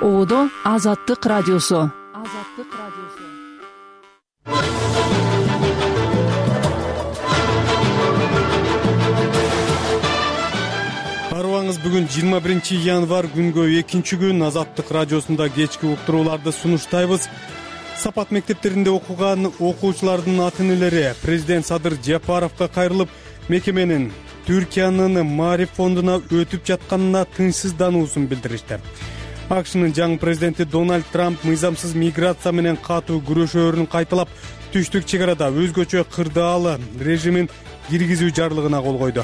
Оодо Азаттык радиосу. Арыбаңыз, бүгүн 21 январь күнгө 2-күн Азаттык радиосунда кечки уктурууларды сунуштайбыз. Сапат мектептеринде окуган окуучулардын ата-энелери президент Садыр Жапаровго кайрылып, мекеменин Түркиянын Маариф фондуна өтүп жатканына тынчсыздануусун билдиришти. АКШнын жаңы президенти Дональд Трамп мыйзамсыз миграция менен катуу күрөшөөрүн кайталап, түштүк чек арада өзгөчө кырдаал режимин киргизүү жарлыгына кол койду.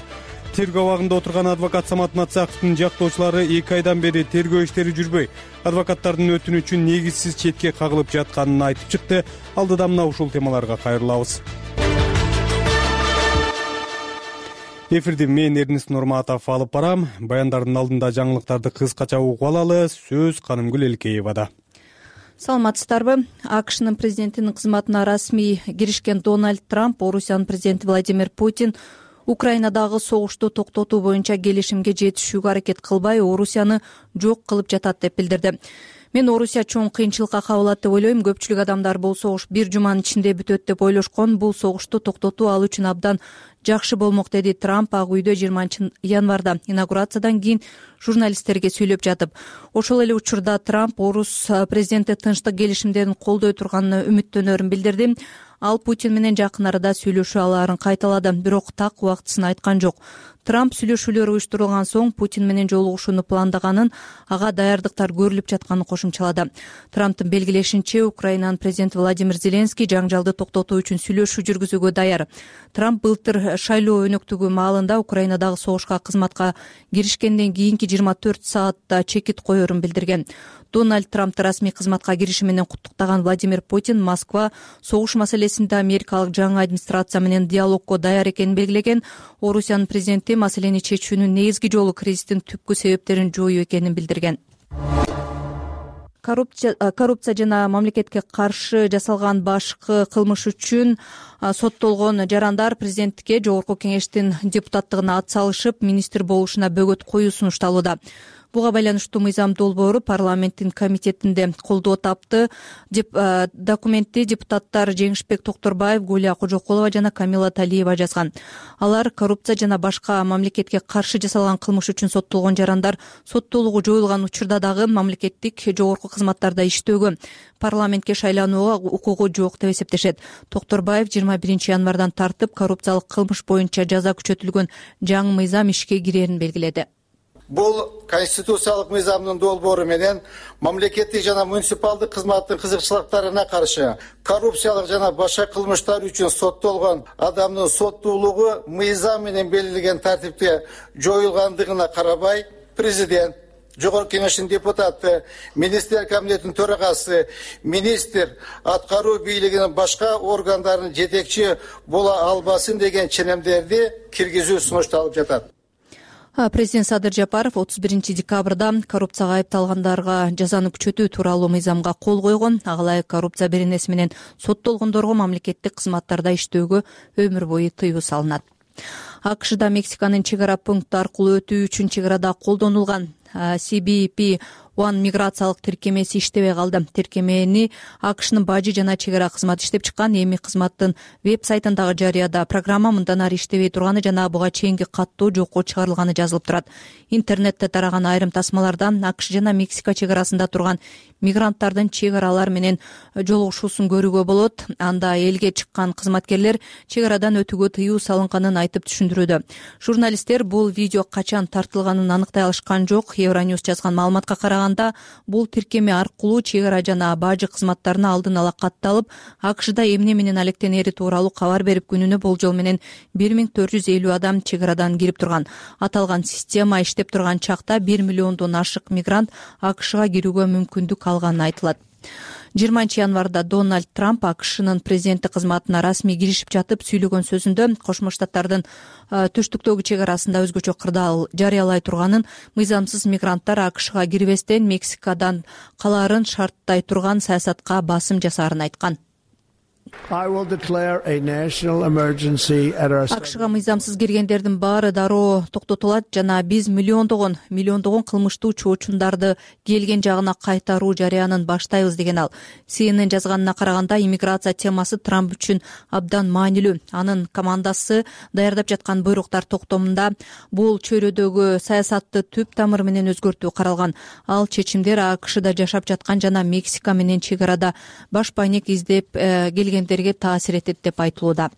Тергөө абагында отурган адвокат Самат Мацаковдун жактоочулары 2 айдан бери тергөө иштери жүрбөй, адвокаттардын өтүнүчүн негизсиз четке кагылып жатканын айтып чыкты. Алдыда мына ушул темаларга кайрылабыз. Эфирди мен Эрнис Нурматов алып барам. Баяндардын алдында жаңылыктарды кыскача угуп алалы. Сөз Канымгүл Элкеевада. Саламатсыздарбы? АКШнын президентинин кызматына расмий киришкен Дональд Трамп Орусиянын президенти Владимир Путин Украинадагы согушту токтотуу боюнча келишимге жетишүүгө аракет кылбай, Орусияны жок кылып жатат деп билдирди. Мен Орусия чоң кыйынчылыкка кабылат деп ойлойм. Көпчүлүк адамдар бул согуш 1 жуманын ичинде бүтөт деп ойлошкон. Бул согушту токтотуу ал үчүн абдан жакшы болмок, деди Трамп Ак үйдө 20 январда инаугурациядан кийин журналисттерге сүйлөп жатып. Ошол эле учурда Трамп Орус президенти тынчтык келишимдерин колдой турганына үмүттөнөрүн билдирди. Ал Путин менен жакын арада сүйлөшүү алаарын кайталады, бирок так убактысын айткан жок. Трамп сүйлөшүүлөр уюштурулган соң Путин менен жолугушууну пландаганын, ага даярдыктар көрүлүп жатканын кошумчалады. Трамптын белгилешинче, Украинанын президенти Владимир Зеленский жаңжалды токтотуу үчүн сүйлөшүү жүргүзүүгө даяр. Трамп былтыр шайлоо өнөктүгү маалында Украинадагы согушка кызматка киришкенден кийинки 24 саатта чекит коерун билдирген. Дональд Трампты расмий кызматка кириши менен куттуктаган Владимир Путин Москва согуш маселесинде америкалык жаңы администрация менен диалогко даяр экенин белгилеген. Орусиянын президенти маселени чечүүнүн негизги жолу кризистин түпкү себептерин жоюу экенин билдирген. Коррупция жана мамлекетке каршы жасалган башкы кылмыш үчүн соттолгон жарандар президенттикке Жогорку кеңештин депутаттыгына ат салышып, министр болушуна бөгөт коюу сунушталууда. Буга байланыштуу мыйзам долбоору парламенттин комитетинде колдоо тапты. Документти депутаттар Жеңишбек Токторбаев, Гулия Кожокулова жана Камила Талиева жазган. Алар коррупция жана башка мамлекетке каршы жасалган кылмыш үчүн соттолгон жарандар соттолугу жоюлган учурда дагы мамлекеттик жогорку кызматтарда иштөөгө, парламентке шайланууга укугу жок деп эсептешет. Токторбаев 21 январдан тартып коррупциялык кылмыш боюнча жаза күчөтүлгөн жаңы мыйзам ишке кирерин белгиледи. Бул конституциялык мыйзамдын долбоору менен мамлекеттик жана муниципалдык кызматтын кызыкчылыктарына каршы коррупциялык жана башка кылмыштар үчүн соттолгон адамдын соттуулугу мыйзам менен белгиленген тартипте жоюлгандыгына карабай, президент, Жогорку кеңештин депутаты, министрлер комитетинин төрагасы, министр аткаруу бийлигинин башка органдарынын жетекчи боло албасын деген ченемдерди киргизүү сунушталып жатат. Президент Садыр Жапаров 31 декабрда коррупцияга айыпталгандарга жазаны күчөтүү тууралуу мыйзамга кол койгон. Ага коррупция беренеси менен соттолгондорго мамлекеттик кызматтарда иштөөгө өмүр бою тыюу салынат. АКШда Мексиканын чек ара пункты аркылуу өтүү үчүн чек арада колдонулган CBP-1 миграциялык тиркемеси иштебей калды. Тиркемени АКШнын бажы жана чек ара кызматы иштеп чыккан. Эми кызматтын веб-сайтындагы жарыяда программа мындан ары иштебей турганы жана буга чейинки каттоо жокко чыгарылганы жазылып турат. Интернетте тараган айрым тасмалардан АКШ жана Мексика чек арасында турган мигранттардын чек аралар менен жолугушуусун көрүүгө болот. Анда элге чыккан кызматкерлер чек арадан өтүүгө тыюу салынганын айтып түшүндүрүүдө. Журналисттер бул видео качан тартылганын аныктай алышкан жок. Евроньюз жазган маалыматка караганда, бул тиркеме аркылуу чек ара жана бажы кызматтарына алдын ала катталып, АКШда эмне менен алектенери тууралуу кабар берип, күнүнө болжол менен 1450 адам чек арадан кирип турган. Аталган система иштеп турган чакта 1 миллиондон ашык мигрант АКШга кирүүгө мүмкүндүк алганы айтылат. 20 январда Дональд Трамп АКШнын президенти кызматына расмий киришип жатып сүйлөгөн сөзүндө Кошмо Штаттардын түштүктөгү чек арасында өзгөчө кырдаал жарыялай турганын, мыйзамсыз мигранттар АКШга кирбестен Мексикадан калаарын шарттай турган саясатка басым жасаарын айткан. АКШга мыйзамсыз киргендердин баары дароо токтотулат жана биз миллиондогон кылмыштуу чоочундарды келген жагына кайтаруу жарыянын баштайбыз деген ал. CNN жазганына караганда иммиграция темасы Трамп үчүн абдан маанилүү. Анын командасы даярдап жаткан буйруктар токтомунда бул чөйрөдөгү саясатты түп тамыры менен өзгөртүү каралган. Ал чечимдер АКШда жашап жаткан жана Мексика менен чек арада баш байнек издеп келгендерге таасир этет деп айтылууда.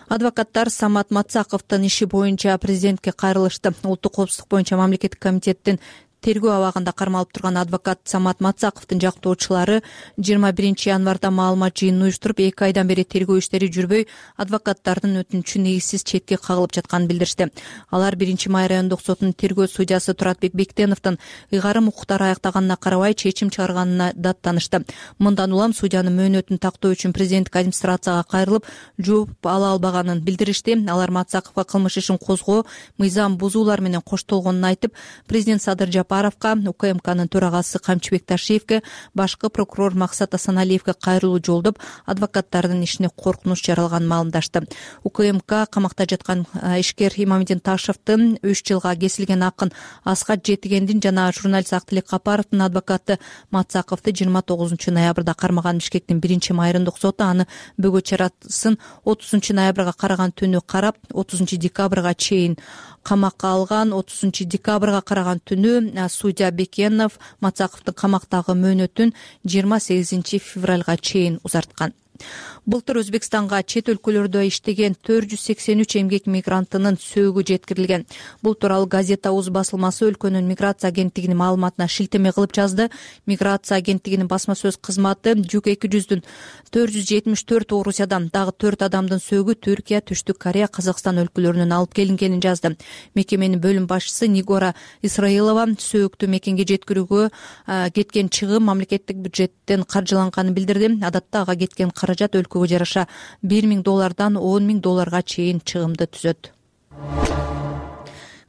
Адвокаттар Самат Мацаковдун иши боюнча президентке кайрылышты. Улуттук коопсуздук боюнча мамлекеттик комитеттин тергөө абагында кармалып турган адвокат Самат Мацаковдун жактоочулары 21 январда маалымат жыйынын уюштуруп 2 айдан бери тергөө иштери жүрбөй, адвокаттардын өтүнүчү негизсиз четке кагылып жатканын билдиришти. Алар 1-Май райондук сотунун тергөө судьясы Туратбек Бектеновдун ыйгарым укуктары аяктаганына карабай чечим чыгарганына даттанышты. Мындан улам судьянын мөөнөтүн тактоо үчүн президенттик администрацияга кайрылып, жооп ала албаганын билдиришти. Алар Мацаковго кылмыш ишин козгоо, мыйзам бузуулар менен коштолгонун айтып, президент Садыр Жапаровго, УКМКнын төрагасы Камчыбек Ташиевге, башкы прокурор Максат Асаналиевге кайрылуу жолдоп, адвокаттардын ишине коркунуч жаралганын маалымдашты. УКМК камакта жаткан ишкер Имамидин Ташевдин 3 жылга кесилген акын Асхат Жетигендин жана журналист Актилек Капаровдун адвокаты Мацаковду 29 ноябрда кармаган. Бишкектин 1-Май райондук соту аны бөгөт чарасын 30 ноябрга караган түнү карап, 30 декабрга чейин камакка алган. 30 декабрга караган түнү судья Бекенов Мацаковдун камактагы мөөнөтүн 28 февралга чейин узарткан. Былтыр Өзбекстанга чет өлкөлөрдө иштеген 483 эмгек мигрантынын сөөгү жеткирилген. Бул тууралуу Газета УЗ басылмасы өлкөнүн миграция агенттигинин маалыматына шилтеме кылып жазды. Миграция агенттигинин басма сөз кызматы жүк 200-дүн 474 Орусиядан, дагы 4 адамдын сөөгү Түркия, Түштүк Корея, Казакстан өлкөлөрүнөн алып келингенин жазды. Мекеменин бөлүм башчысы Нигора Исраилова сөөгүктү мекенге жеткирүүгө кеткен чыгым мамлекеттик бюджеттен каржыланганын билдирди. Адатта ага кеткен каражат өлкөгө жараша $1,000 $10,000 чейин чыгымды түзөт.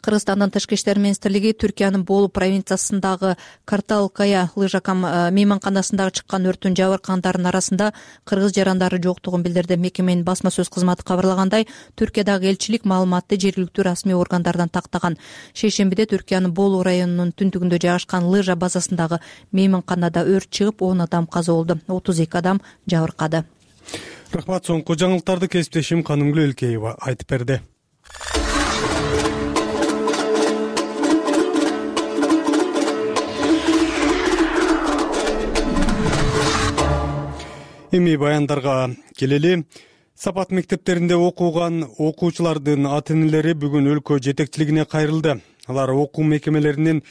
Кыргызстандын Тышкы иштер министрлиги Түркиянын Болу провинциясындагы Карталкая лыжа мейманканасындагы чыккан өрттүн жабыркагандардын арасында кыргыз жарандары жоктугун билдирди. Мекеменин басма сөз кызматы кабарлагандай, Түркиядагы элчилик маалыматты жергиликтүү расмий органдардан тактаган. Шейшембиде Түркиянын Болу районунун түндүгүндө жайгашкан лыжа базасындагы мейманканада өрт чыгып, 10 адам каза болду, 32 адам жабыркады. Рахмат. Соңку жаңылыктарды кесиптешим Канымгүл Элкеева айтып берди. Эми баяндарга келели. Сапат мектептеринде окуган окуучулардын ата-энелери бүгүн өлкө жетекчилигине кайрылды. Алар окуу мекемелеринин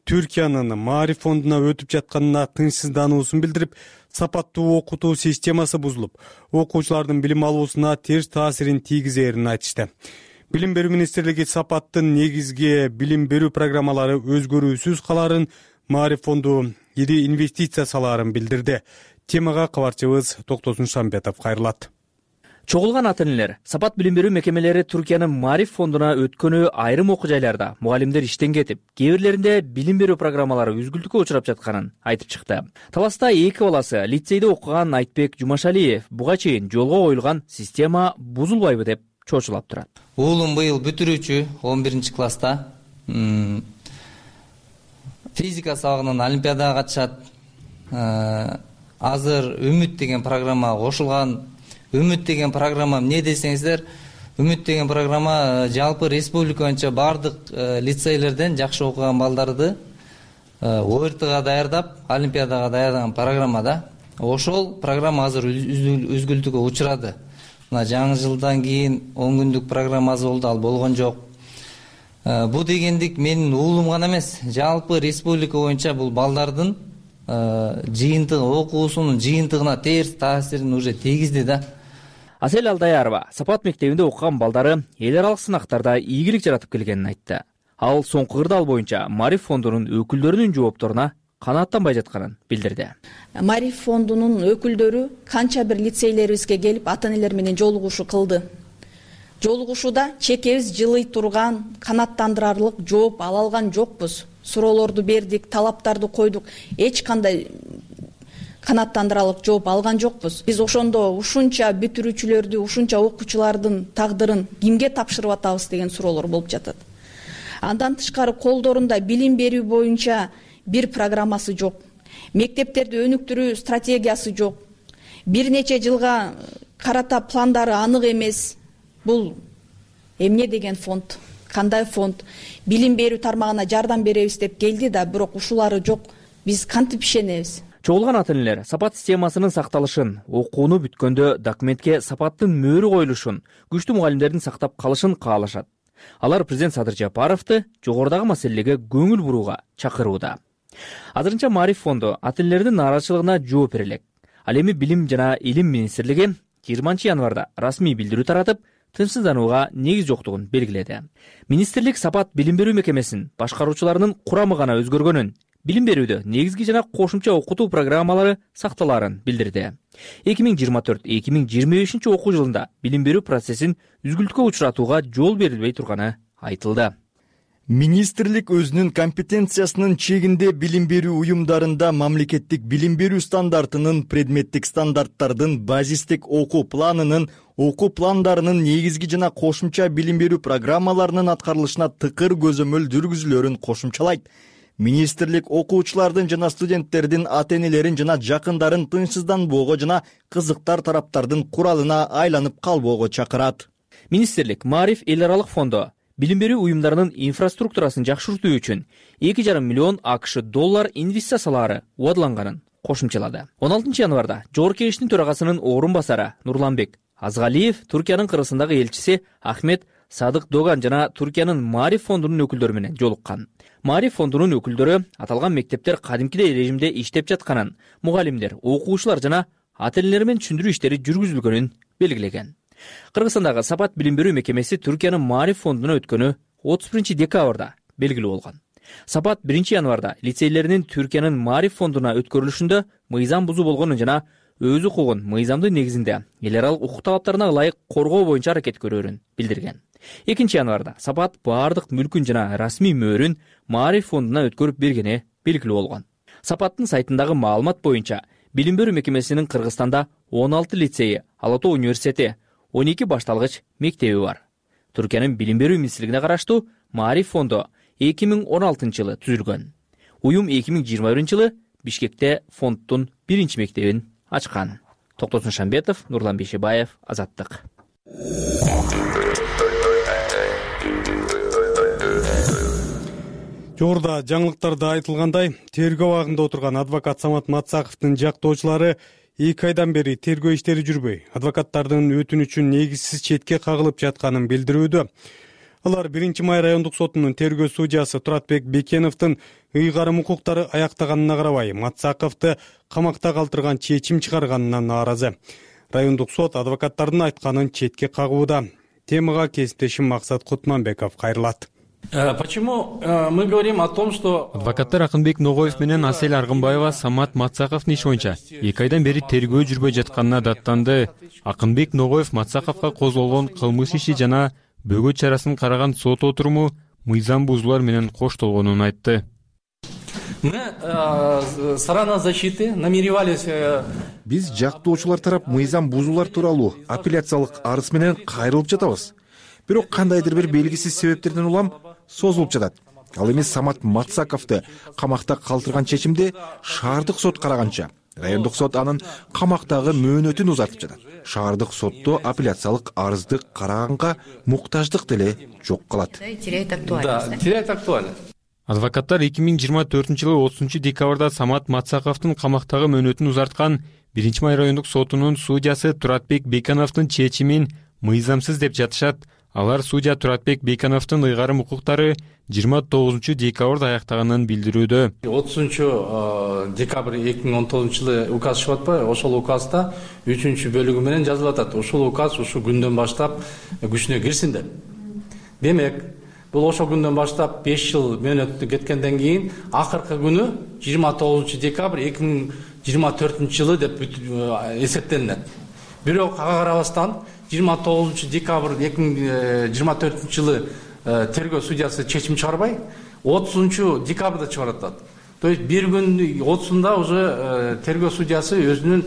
Түркиянын Маариф фондуна өтүп жатканына тынчсыздануусун билдирип, сапаттуу окутуу системасы бузулуп, окуучулардын билим алуусуна терс таасирин тийгизерин айтышты. Билим берүү министрлиги сапаттын негизги билим берүү программалары өзгөрүүсүз каларын, Маариф фонду ири инвестиция салаарын билдирди. Темага кабарчыбыз Токтосун Шамбетов кайрылат. Чогулган ата-энелер сапат билим берүү мекемелери Түркиянын Маариф фондуна өткөнү айрым окуу жайларда мугалимдер иштен кетип, кээ бирлеринде билим берүү программалары үзгүлтүккө учурап жатканын айтып чыкты. Таласта 2 баласы лицейде окуган Айтбек Жумашалиев буга чейин жолго коюлган система бузулбайбы деп чочулап турат. Уулум быйыл бүтүрүүчү 11 класста. Физика сабагынан олимпиадага катышат. Азыр Үмүт деген программа кошулган. Үмүт деген программа эмне десеңиздер, Үмүт деген программа жалпы республика боюнча бардык лицейлерден жакшы окуган балдарды ОРТга даярдап, олимпиадага даярдаган программа да. Ошол программа азыр үзгүлтүккө учурады. Мына жаңы жылдан кийин 10 күндүк программасы болду, ал болгон жок. Бу дегендик менин уулум гана эмес, жалпы республика боюнча бул балдардын жыйынтыгы, окуусунун жыйынтыгына терс таасирин уже тийгизди да. Асель Алдаярова сапат мектебинде окуган балдары эл аралык сынактарда ийгилик жаратып келгенин айтты. Ал соңку кырдаал боюнча Маариф фондунун өкүлдөрүнүн жоопторуна канааттанбай жатканын билдирди. Маариф фондунун өкүлдөрү канча бир лицейлерибизге келип ата-энелер менен жолугушуу кылды. Жолугушууда чекебиз жылый турган, канааттандырарлык жооп ала алган жокпуз. Суроолорду бердик, талаптарды койдук. Эч кандай канааттандырарлык жооп алган жокпуз. Биз ошондо ушунча бүтүрүүчүлөрдү, ушунча окуучулардын тагдырын кимге тапшырып атабыз деген суроолор болуп жатат. Андан тышкары колдорунда билим берүү боюнча бир программасы жок. Мектептерди өнүктүрүү стратегиясы жок. Бир нече жылга карата пландары анык эмес. Бул эмне деген фонд? Кандай фонд? Билим берүү тармагына жардам беребиз деп келди да, бирок ушулары жок. Биз кантип ишенебиз? Чогулган ата энелер сапат системасынын сакталышын, окууну бүткөндө документке сапаттын мөөрү коюлушун, күчтүү мугалимдердин сактап калышын каалашат. Алар президент Садыр Жапаровду жогорудагы маселелерге көңүл бурууга чакырууда. Азырынча Маариф фонду ата энелердин нааразычылыгына жооп бере элек. Ал эми Билим жана Илим министрлиги 20 январда расмий билдирүү таратып, тынчсызданууга негиз жоктугун белгиледи. Министрлик сапат билим берүү мекемесинин башкаруучуларынын курамы гана өзгөргөнүн, билим берүүдө негизги жана кошумча окутуу программалары сакталаарын билдирди. 2024-2025 окуу жылында билим берүү процессин үзгүлтүккө учуратууга жол берилбей турганы айтылды. Министрлик өзүнүн компетенциясынын чегинде билим берүү уюмдарында мамлекеттик билим берүү стандартынын, предметтик стандарттардын, базистик окуу планынын, окуу пландарынын негизги жана кошумча билим берүү программаларынын аткарылышына тыкыр көзөмөл жүргүзүлөрүн кошумчалайт. Министрлик окуучулардын жана студенттердин ата энелерин жана жакындарын тынчсызданбоого жана кызыктар тараптардын куралына айланып калбоого чакырат. Министрлик Маариф эл аралык фонду билим берүү уюмдарынын инфраструктурасын жакшыртуу үчүн 2,5 миллион АКШ доллар инвестициялаары убадыланганын кошумчалады. 16 январда Жогорку Кеңештин төрагасынын орун басары Нурланбек Азгалиев Туркиянын Кыргызстандагы элчиси Ахмет Садык Доган жана Туркиянын Маариф фондунун өкүлдөрү менен жолуккан. Маариф фондунун өкүлдөрү аталган мектептер кадимкидей режимде иштеп жатканын, мугалимдер, окуучулар жана ата энелер менен түшүндүрүү иштери жүргүзүлгөнүн белгилеген. Кыргызстандагы сапат билим берүү мекемеси Түркиянын Маариф фондуна өткөнү 31 декабрда белгилүү болгон. Сапат 1 январда лицейлеринин Түркиянын Маариф фондуна өткөрүлүшүндө мыйзам бузуу болгонун жана өз укугун мыйзамдын негизинде эл аралык укук талаптарына ылайык коргоо боюнча аракет көрөрүн билдирген. 2 январда Сапат баардык мүлкүн жана расмий мөөрүн Маариф фондуна өткөрүп бергени белгилүү болгон. Сапаттын сайтындагы маалымат боюнча билим берүү мекемесинин Кыргызстанда 16 лицейи, Ала Тоо университети, 12 башталгыч мектеби бар. Түркиянын билим берүү министрлигине караштуу Маариф фонду 2016 жылы түзүлгөн. Уюм 2021 жылы Бишкекте фонддун 1 мектебин ачкан. Токтосун Шамбетов, Нурлан Бейшебаев, Азаттык. Жогоруда жаңылыктарда айтылгандай, тергөө абагында отурган адвокат Самат Матсаковдун жактоочулары 2 айдан бери тергөө иштери жүрбөй, адвокаттардын өтүнүчүн негизсиз четке кагылып жатканын билдирүүдө. Алар 1 май райондук сотунун тергөө судьясы Туратбек Бекеновдун ыйгарым укуктары аяктаганына карабай, Матсаковду камакта калтырган чечим чыгарганына нааразы. Райондук сот адвокаттардын айтканын четке кагууда. Темага кесиптешим Максат Кутманбеков кайрылат. Почему мы говорим о том, что адвокаттар Акынбек Ногоев менен Асель Аргынбаева Самат Матсаковдун иши боюнча 2 айдан бери тергөө жүрбөй жатканына даттанды. Акынбек Ногоев Матсаковго козголгон кылмыш иши жана бөгөт чарасын караган сот отуруму мыйзам бузуулар менен коштолгонун айтты. Мы сторона защиты намеревались биз жактоочулар тарап мыйзам бузуулар тууралуу апелляциялык арыз менен кайрылып жатабыз. Бирок кандайдыр бир белгисиз себептерден улам созулуп жатат. Ал эми Самат Матсаковду камакта калтырган чечимди шаардык сот караганча, райондук сот анын камактагы мөөнөтүн узартып жатат. Шаардык сотто апелляциялык арызды караганга муктаждык деле жок калат. Да, теряет актуальность. Адвокаттар 2024 жылы 30 декабрда Самат Матсаковдун камактагы мөөнөтүн узарткан 1 май райондук сотунун судьясы Туратбек Бекеновдун чечимин мыйзамсыз деп жатышат. Алар судья Туратбек Бекеновдун ыйгарым укуктары 29 декабрда аяктаганын билдирүүдө. 30 декабрь 2019 жылы указ чыгып атпайбы? Ошол указда 3 бөлүгү менен жазылып атат. Ушул указ ушул күндөн баштап күчүнө кирсин деп. Демек, бул ошол күндөн баштап 5 жыл мөөнөт кеткенден кийин акыркы күнү 29 декабрь 2024 жылы деп эсептелинет. Бирок ага карабастан 29 декабрь 2024 жылы тергөө судьясы чечим чыгарбай, 30 декабрда чыгарат. То есть бир күн отусунда уже тергөө судьясы өзүнүн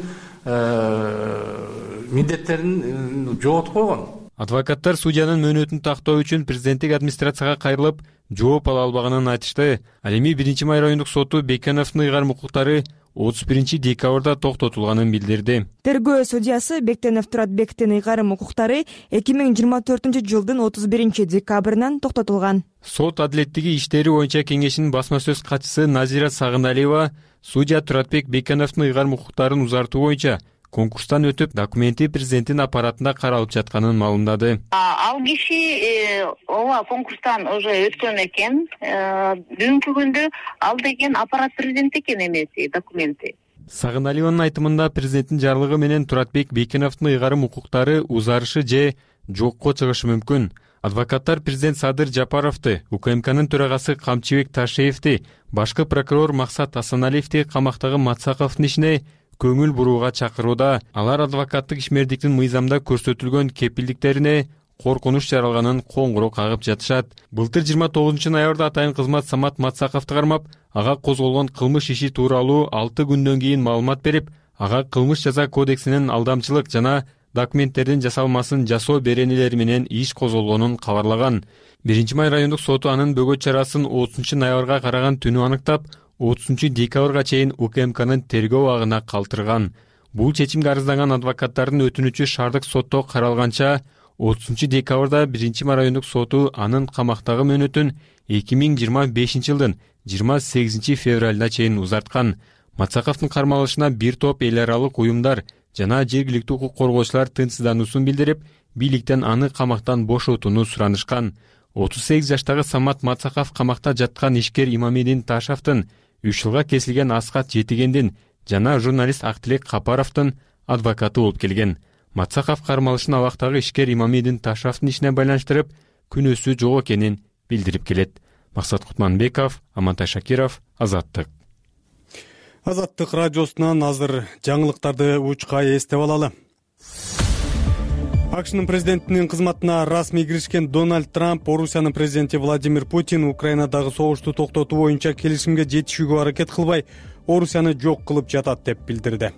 милдеттерин жоготуп койгон. Адвокаттар судьянын мөөнөтүн тактоо үчүн президенттик администрацияга кайрылып, жооп ала албаганын айтышты. Ал эми 1-Май райондук соту Бекеновдун ыйгарым укуктары 31 декабрда токтотулганын билдирди. Тергөө судьясы Бектенов Туратбектин ыйгарым укуктары 2024-жылдын 31 декабрынан токтотулган. Сот адилеттиги иштери боюнча кеңешинин басма сөз катчысы Назира Сагыналиева судья Туратбек Бекеновдун ыйгарым укуктарын узартуу боюнча конкурстан өтүп, документи президенттин аппаратында каралып жатканын маалымдады. Ал киши ооба конкурстан уже өткөн экен. Бүгүнкү күндө ал деген аппарат президент экен эмеси документи. Сагыналиеванын айтымында президенттин жарлыгы менен Туратбек Бекеновдун ыйгарым укуктары узарышы же жокко чыгышы мүмкүн. Адвокаттар президент Садыр Жапаровду, УКМКнын төрагасы Камчыбек Ташеевди, башкы прокурор Максат Асаналиевди камактагы Матсаковдун ишине көңүл бурууга чакырууда. Алар адвокаттык ишмердиктин мыйзамда көрсөтүлгөн кепилдиктерине коркунуч жаралганын коңгуроо кагып жатышат. Былтыр 29-ноябрда атайын кызмат Самат Матсаковду кармап, ага козголгон кылмыш иши тууралуу 6 күндөн кийин маалымат берип, ага кылмыш жаза кодексинин алдамчылык жана документтердин жасалмасын жасоо беренелери менен иш козголгонун кабарлаган. 1-Май райондук соту анын бөгөт чарасын 30-ноябрга караган түнү аныктап, 30-декабрга чейин УКМКнын тергөө абагына калтырган. Бул чечимге арызданган адвокаттардын өтүнүчү шаардык сотто каралганча, 30-декабрда 1-Май райондук соту анын камактагы мөөнөтүн 2025-жылдын 28 февралына чейин узарткан. Матсаковдун кармалышына бир топ эл аралык уюмдар жана жергиликтүү укук коргоочулар тынчсыздануусун билдирип, бийликтен аны камактан бошотууну суранышкан. 38 жаштагы Самат Матсаков камакта жаткан ишкер Имамидин Ташевдин, 3 жылга кесилген Аскат Жетигендин жана журналист Актилек Капаровдун адвокаты болуп келген. Матсаков кармалышын абактагы ишкер Имамидин Ташевдин ишине байланыштырып, күнөөсү жок экенин билдирип келет. Максат Кутманбеков, Амантай Шакиров, Азаттык. Азаттык радиосунан азыр жаңылыктарды учка эстеп алалы. АКШнын президентинин кызматына расмий киришкен Дональд Трамп Орусиянын президенти Владимир Путин Украинадагы согушту токтотуу боюнча келишимге жетишүүгө аракет кылбай, Орусияны жок кылып жатат деп билдирди.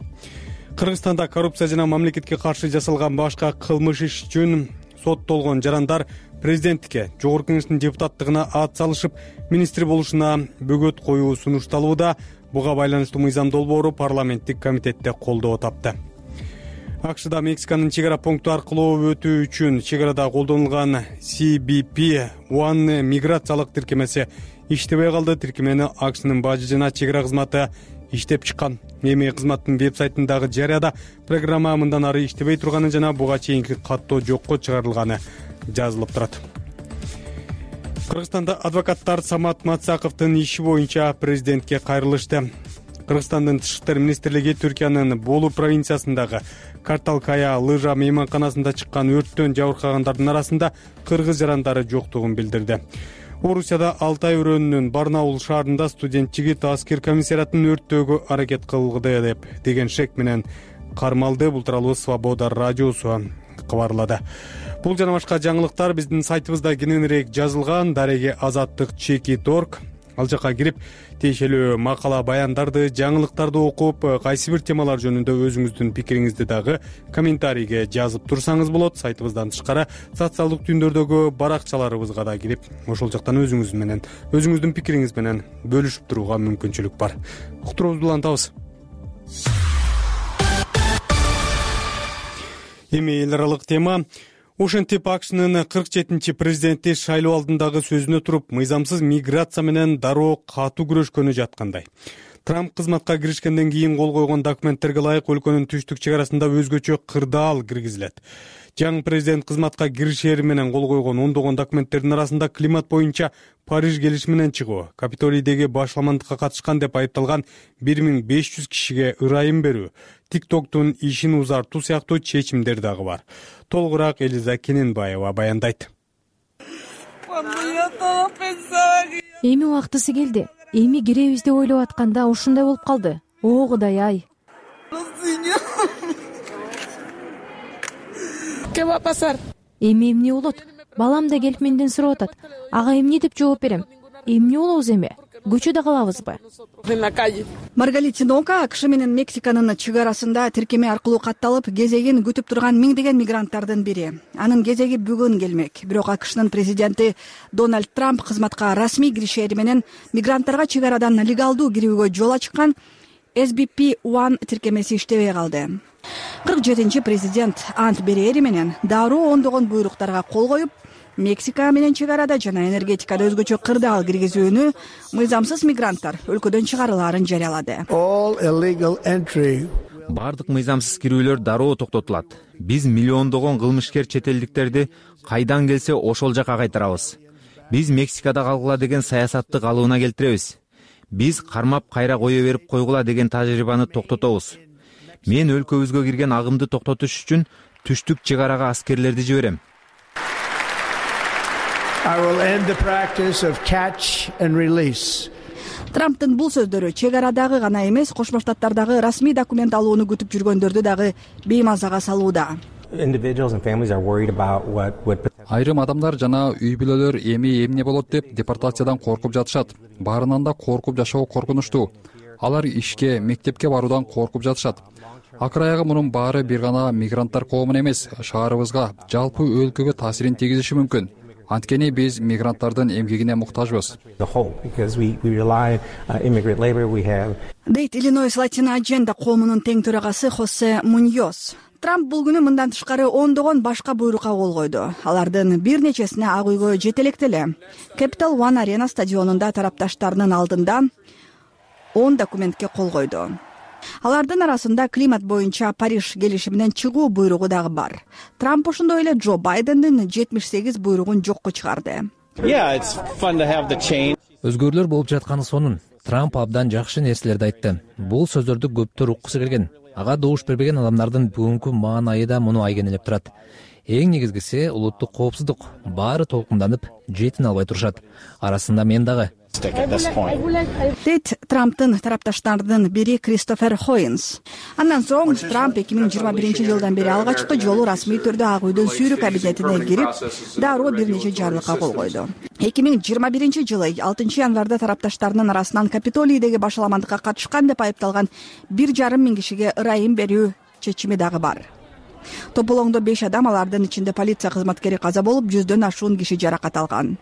Кыргызстанда коррупция жана мамлекетке каршы жасалган башка кылмыш иш үчүн соттолгон жарандар президенттикке, Жогорку Кеңештин депутаттыгына ат салышып, министр болушуна бөгөт коюу сунушталууда. Буга байланыштуу мыйзам долбоору парламенттик комитетте колдоо тапты. АКШда Мексиканын чек ара пункту аркылуу өтүү үчүн чек арада колдонулган CBP-1 миграциялык тиркемеси иштебей калды. Тиркемени АКШнын бажы жана чек ара кызматы иштеп чыккан. Эми кызматтын веб-сайтындагы жарыяда программа мындан ары иштебей турганы жана буга чейинки каттоо жокко чыгарылганы жазылып турат. Кыргызстанда адвокаттар Самат Матсаковдун иши боюнча президентке кайрылышты. Кыргызстандын Тышкы иштер министрлиги Түркиянын Болу провинциясындагы Карталкая лыжа мейманканасында чыккан өрттөн жабыркагандардын арасында кыргыз жарандары жоктугун билдирди. Орусияда Алтай өрөөнүнүн Барнаул шаарында студент жигит аскер комиссариатын өрттөөгө аракет кылды деген шек менен кармалды. Бул тууралуу Свобода радиосу кабарлады. Бул жана башка жаңылыктар биздин сайтыбызда кененирээк жазылган. Дареги Азаттык.org. Ал жака кирип, тиешелүү макала, баяндарды, жаңылыктарды окуп, кайсы бир темалар жөнүндө өзүңүздүн пикириңизди дагы комментарийге жазып турсаңыз болот. Сайтыбыздан тышкары социалдык түйүндөрдөгү баракчаларыбызга да кирип, ошол жактан өзүңүздүн пикириңиз менен бөлүшүп турууга мүмкүнчүлүк бар. Уктуруубузду улантабыз. Эми эл аралык тема. Ошентип АКШнын 47-чи президенти шайлоо алдындагы сөзүнө туруп, мыйзамсыз миграция менен дароо катуу күрөшкөнү жаткандай. Трамп кызматка киришкенден кийин кол койгон документтерге ылайык өлкөнүн түштүк чек арасында өзгөчө кырдаал киргизилет. Жаңы президент кызматка киришери менен кол койгон ондогон документтердин арасында климат боюнча Париж келишиминен чыгуу, Капитолийдеги башламандыкка катышкан деп айыпталган 1500 кишиге ырайым берүү, TikToktун ишин узартуу сыяктуу чечимдер дагы бар. Толугураак Элиза Кененбаева баяндайт. Эми убактысы келди. Эми киребиз деп ойлоп атканда ушундай болуп калды. О Кудай ай. Эми эмне болот? Балам да келип менден сурап атат. Ага эмне деп жооп берем? Эмне болобуз эми? көчөдө калабызбы? Маргалит Нока АКШ менен Мексиканын чек арасында тиркеме аркылуу катталып кезегин күтүп турган миңдеген мигранттардын бири. Анын кезеги бүгүн келмек. Бирок АКШнын президенти Дональд Трамп кызматка расмий киришери менен мигранттарга чек арадан легалдуу кирүүгө жол ачкан SBP-1 тиркемеси иштебей калды. 47-чи президент ант берери менен дароо ондогон буйруктарга кол коюп, Мексика менен чек арада жана энергетикада өзгөчө кырдаал киргизүүнү мыйзамсыз мигранттар өлкөдөн чыгарылаарын жарыялады. Бардык мыйзамсыз кирүүлөр дароо токтотулат. Биз миллиондогон кылмышкер чет элдиктерди кайдан келсе ошол жака кайтарабыз. Биз Мексикада калгыла деген саясатты калыбына келтиребиз. Биз кармап кайра кое берип койгула деген тажрыйбаны токтотобуз. Мен өлкөбүзгө кирген агымды токтотуш үчүн түштүк чек арага аскерлерди жиберем. Трамптын бул сөздөрү чек арадагы гана эмес, Кошмо Штаттардагы расмий документ алууну күтүп жүргөндөрдү дагы беймазага салууда. Айрым адамдар жана үй бүлөлөр эми эмне болот деп депортациядан коркуп жатышат. Баарынан да коркуп жашоо коркунучтуу. Алар ишке, мектепке баруудан коркуп жатышат. Акыр аягы мунун баары бир гана мигранттар коомуна эмес, шаарыбызга, жалпы өлкөгө таасирин тийгизиши мүмкүн. Анткени биз мигранттардын эмгегине муктажбыз. Дейт Иллинойс Латина Agenda коомунун тең төрагасы Хосе Муньос. Трамп бул күнү мындан тышкары ондогон башка буйрукка кол койду. Алардын бир нечесине Ак үйгө жете электе эле. Capital One Arena стадионунда тарапташтарынын алдында 10 документке кол койду. Алардын арасында климат боюнча Париж келишиминен чыгуу буйругу дагы бар. Трамп ошондой эле Джо Байдендин 78 буйругун жокко чыгарды. Өзгөрүүлөр болуп жатканы сонун. Трамп абдан жакшы нерселерди айтты. Бул сөздөрдү көптөр уккусу келген. Ага добуш бербеген адамдардын бүгүнкү маанайы да муну айгинелеп турат. Эң негизгиси улуттук коопсуздук. Баары толкунданып, жетин албай турушат. Арасында мен дагы. Дейт Трамптын тарапташтарынын бири Кристофер Хоинс. Андан соң Трамп 2021 жылдан бери алгачкы жолу расмий түрдө Ак үйдүн сүйрүү кабинетине кирип, дароо бир нече жарлыкка кол койду. 2021 жылы 6 январда тарапташтарынын арасынан Капитолийдеги башаламандыкка катышкан деп айыпталган 1,5 миң кишиге ырайым берүү чечими дагы бар. Тополоңдо 5 адам, алардын ичинде полиция кызматкери каза болуп, 100дөн ашуун киши жаракат алган.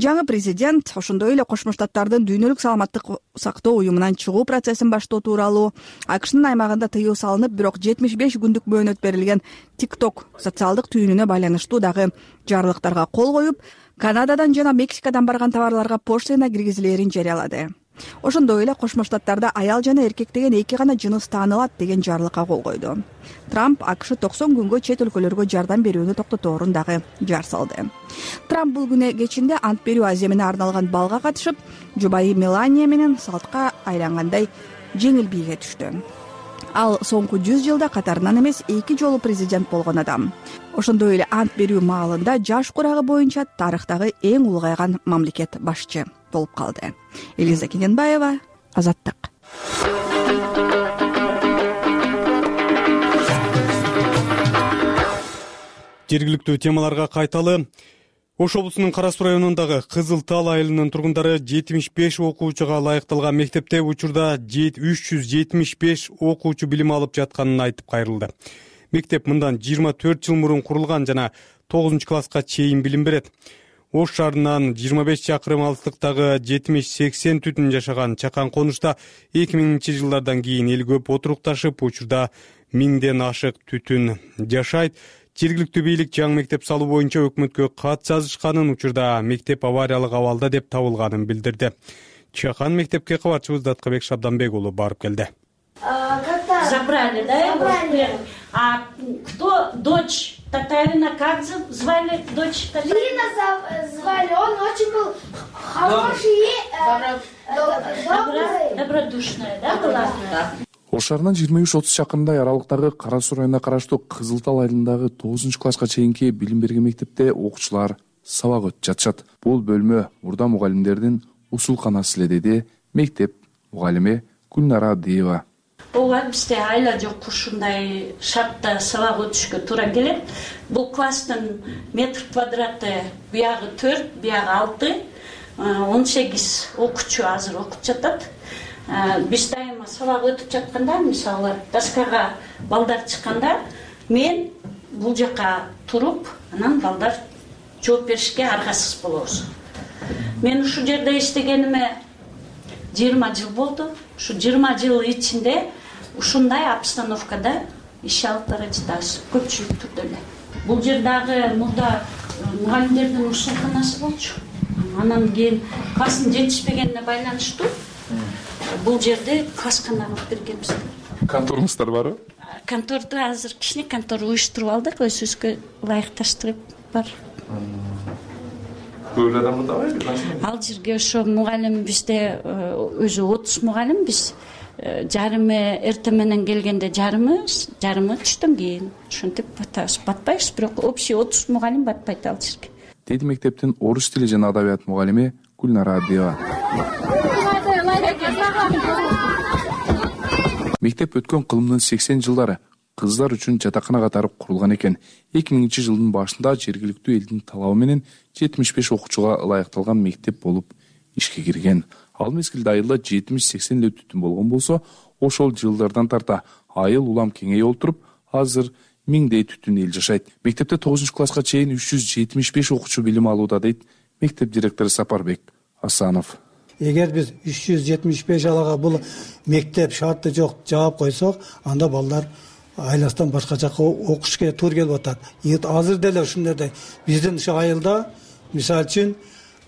Жаңы президент ошондой эле Кошмо Штаттардын дүйнөлүк саламаттык сактоо уюмунан чыгуу процессин баштоо тууралуу, АКШнын аймагында тыюу салынып, бирок 75 күндүк мөөнөт берилген TikTok социалдык түйүнүнө байланыштуу дагы жарлыктарга кол коюп, Канададан жана Мексикадан барган товарларга поштена киргизилерин жарыялады. Ошондой эле Кошмо Штаттарда аял жана эркек деген эки гана жыныс таанылат деген жарлыкка кол койду. Трамп АКШ 90 күнгө чет өлкөлөргө жардам берүүнү токтоторун дагы жар салды. Трамп бул күнү кечинде ант берүү аземине арналган балга катышып, жубайы Мелания менен салтка айлангандай жеңил бийге түштү. Ал соңку 100 жылда катарынан эмес 2 жолу президент болгон адам. Ошондой эле ант берүү маалында жаш курагы боюнча тарыхтагы эң улгайган мамлекет башчы болуп калды. Элиза Кененбаева, Азаттык. Жергиликтүү темаларга кайталы. Ош облусунун Кара Суу районундагы Кызыл Тал айылынын тургундары 75 окуучуга ылайыкталган мектепте учурда 375 окуучу билим алып жатканын айтып кайрылды. Мектеп мындан 24 жыл мурун курулган жана 9-класска чейин билим берет. Ош шаарынан 25 чакырым алыстыктагы 70-80 түтүн жашаган чакан конушта 2000 жылдардан кийин эл көп отурукташып, учурда 1000ден ашык түтүн жашайт. Жергиликтүү бийлик жаңы мектеп салуу боюнча өкмөткө кат жазышканын, учурда мектеп авариялык абалда деп табылганын билдирди. Чакан мектепке кабарчыбыз Даткабек Шабданбек уулу барып келди. Забрали, да? Забрали. А кто дочь Татарина, как звали дочь Татарина? Ирина звали, он очень был хороший и добродушная, да, была? Ош шаарынан 23-30 чакырымдай аралыктагы Кара Суу районуна караштуу Кызыл Тал айылындагы 9-класска чейинки билим берген мектепте окуучулар сабак өтүп жатышат. Бул бөлмө мурда мугалимдердин усулканасы эле, деди мектеп мугалими Гүлнара Адыева. Ооба, бизде айла жок, ушундай шартта сабак өтүшкө туура келет. Бул класстын метр квадраты биягы 4, биягы 6. 18 окуучу азыр окуп жатат. Биз дайыма сабак өтүп жатканда, мисалы доскага балдар чыкканда, мен бул жака туруп, анан балдар жооп беришке аргасыз болобуз. Мен ушул жерде иштегениме 20 жыл болду. Ушу 20 жыл ичинде ушундай обстановкада иш алып бара жатабыз, көпчүлүк түрдө эле. Бул жердагы мурда мугалимдердин ушунканасы болчу. Анан кийин класстын жетишпегенине байланыштуу бул жерде класскана кылып бергенбиз. Конторуңуздар барбы? Конторду азыр кичине контор уюштуруп алдык, өзүбүзгө ылайыкташтырып бар. Көп эле адам табайбы? Ал жерге ошо мугалим бизде өзү 30 мугалим, биз жарымы эртең менен келгенде жарымы түштөн кийин ушинтип батпайбыз, бирок общий 30 мугалим батпайт ал жерге. Деди мектептин орус тили жана адабият мугалими Гүлнара Абдиева. Мектеп өткөн кылымдын 80 жылдары кыздар үчүн жатакана катары курулган экен. 2000-жылдын башында жергиликтүү элдин талабы менен 75 окуучуга ылайыкталган мектеп болуп ишке кирген. Ал мезгилде айылда 70-80 эле түтүн болгон болсо, ошол жылдардан тарта айыл улам кеңейип олтуруп, азыр миңдей түтүн эл жашайт. Мектепте 9-класска чейин 375 окуучу билим алууда, дейт мектеп директору Сапарбек Асанов. Эгер биз 375 алага бул мектеп шарты жок жаап койсок, анда балдар айластан башка жака окушка туура келип атат. Азыр деле ушундайдай биздин ушу айылда мисалы үчүн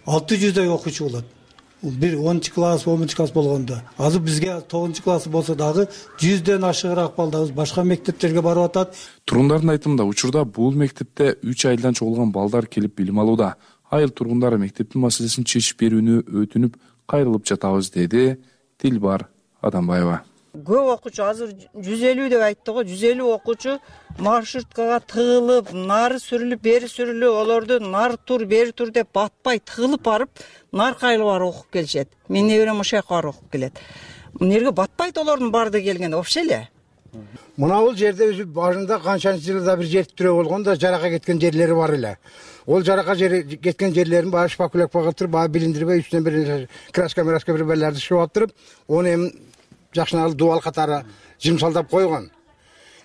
600дөй окуучу болот. Бир 10-класс, 11-класс болгондо. Азыр бизге 9-класс болсо дагы 100дөн ашыгыраак балдарыбыз башка мектептерге барып атат. Турундардын айтымында учурда бул мектепте 3 айылдан чогулган балдар келип билим алууда. Айыл тургундары мектептин маселесин чечип берүүнү өтүнүп кайрылып жатабыз, деди Тилбар Адамбаева. Көп окуучу азыр 150 деп айтты го, 150 окуучу маршруткага тыгылып, нары сүрүлүп, бери сүрүлүп, олорду нар тур, бери тур деп батпай тыгылып барып, нар кайылып барып окуп келишет. Менин неберем ошол жака барып окуп келет. Эмнеге батпайт олордун баардыгы келгенде вообще эле. Мына бул жерде өзү башында канчанчы жылда бир жер тирөө болгондо жарака кеткен жерлери бар эле. Ол жарака кеткен жерлерин баягы шпакуляк багытырып, баягы билиндирбей үстүнөн бир краска бир беллерди шып алып, оны эми жакшынаалы дубал катары жымсалдап койгон.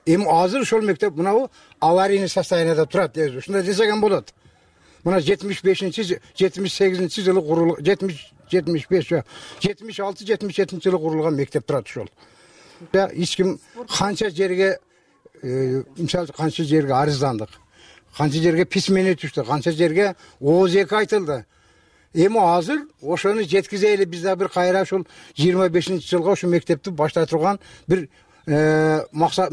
Эми азыр ошол мектеп мына аварийный состоянияда турат. Ушундай десеген болот. Мына 76-78 жылы курулган, 76-77 жылы курулган мектеп турат ошол. Эч ким канча жерге мисалы канча жерге арыздандык, канча жерге письмени түштү, канча жерге ооз эки айтылды. Эми азыр ошону жеткизели, биз да бир кайра ушул 25-жылга ошол мектепти баштай турган бир баштай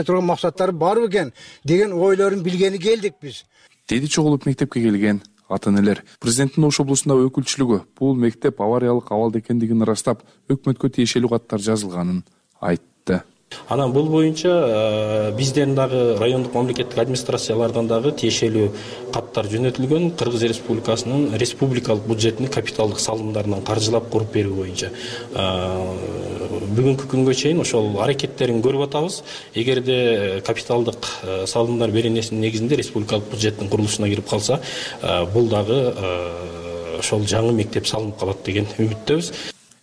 турган максаттары бар экен деген ойлорун билгени келдик биз. Деди чогулуп мектепке келген ата-энелер. Президенттин Ош облусунда өкүлчүлүгү бул мектеп авариялык абалда экендигин ырастап, өкмөткө тиешелүү каттар жазылганын айтты. Анан бул боюнча бизден дагы райондук мамлекеттик администрациялардан дагы тиешелүү каттар жөнөтүлгөн. Кыргыз Республикасынын республикалык бюджетинин капиталдык салымдарынан каржылап куруп берүү боюнча бүгүнкү күнгө чейин ошол аракеттерин көрүп атабыз. Эгерде капиталдык салымдар беренесинин негизинде республикалык бюджеттин курулушуна кирип калса, бул дагы ошол жаңы мектеп салынып калат деген үмүттөбүз.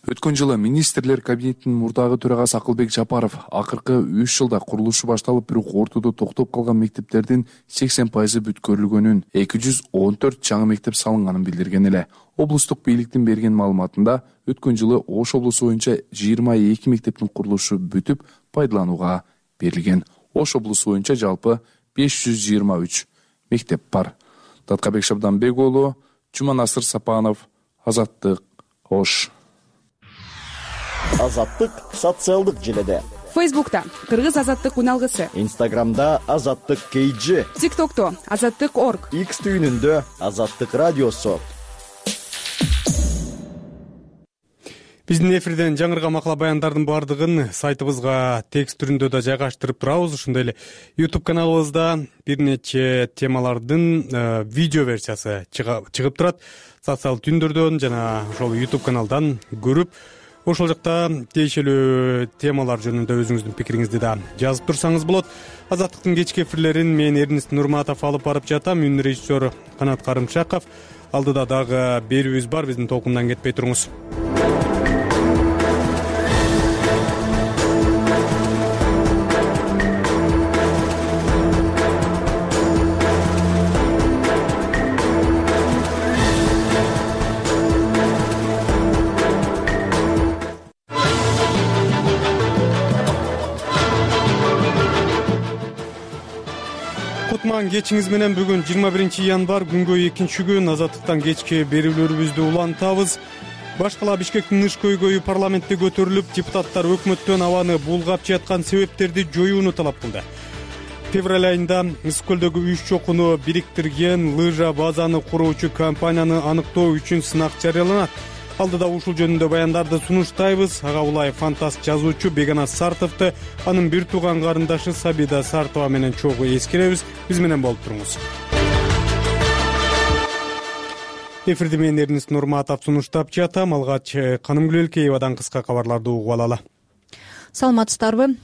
Өткөн жылы министрлер кабинетинин мурдагы төрагасы Акылбек Жапаров акыркы 3 жылда курулушу башталып, бирок ортодо токтоп калган мектептердин 80% бүткөрүлгөнүн, 214 жаңы мектеп салынганын билдирген эле. Облустук бийликтин берген маалыматында өткөн жылы Ош облусу боюнча 22 мектептин курулушу бүтүп, пайдаланууга берилген. Ош облусу боюнча жалпы 523 мектеп бар. Таткабек Шабданбек уулу, Жуманасыр Сапанов, Азаттык, Ош. Азаттык социалдык желеде. Фейсбукта Кыргыз азаттык уналгысы. Инстаграмда Азаттык KG. ТикТокто Азаттык.org. X түйүнүндө Азаттык радиосу. Биздин эфирден жаңырган макала баяндардын баардыгын сайтыбызга текст түрүндө да жайгаштырып турабыз. Ошондой эле YouTube каналыбызда бир нече темалардын видео версиясы чыгып турат. Социалдык түндөрдөн жана ошол YouTube каналдан көрүп, ошол жакта тиешелүү темалар жөнүндө өзүңүздүн пикириңизди да жазып турсаңыз болот. Азаттыктын кечки эфирлерин мен Эрнест Нурматов алып барып жатам. Үн режиссер Канат Карымшаков. Алдыда дагы берүүбүз бар, биздин толкундан кетпей туруңуз. Кечиңиз менен бүгүн 21 январь күнгө 2-күн Азаттыктан кечки берүүлөрүбүздү улантабыз. Башкала Бишкектин ыш көйгөйү парламентте көтөрүлүп, депутаттар өкмөттөн абаны булгап жаткан себептерди жоюуну талап кылды. Февраль айында Ысык көлдөгү 3 чокуну бириктирген лыжа базаны куруучу компанияны аныктоо үчүн сынак жарыяланат. Алдыда ушул жөнүндө баяндарды сунуштайбыз. Ага улай фантаст жазуучу Бегана Сартовду, анын бир тууган карындашы Сабида Сартова менен чогуу эскеребиз. Биз менен болуп туруңуз. Эфирди мен Эрнис Нурматов сунуштап жатам. Алгач Канымгүл Элкеевадан кыска кабарларды угуп алалы. Саламатсыздарбы?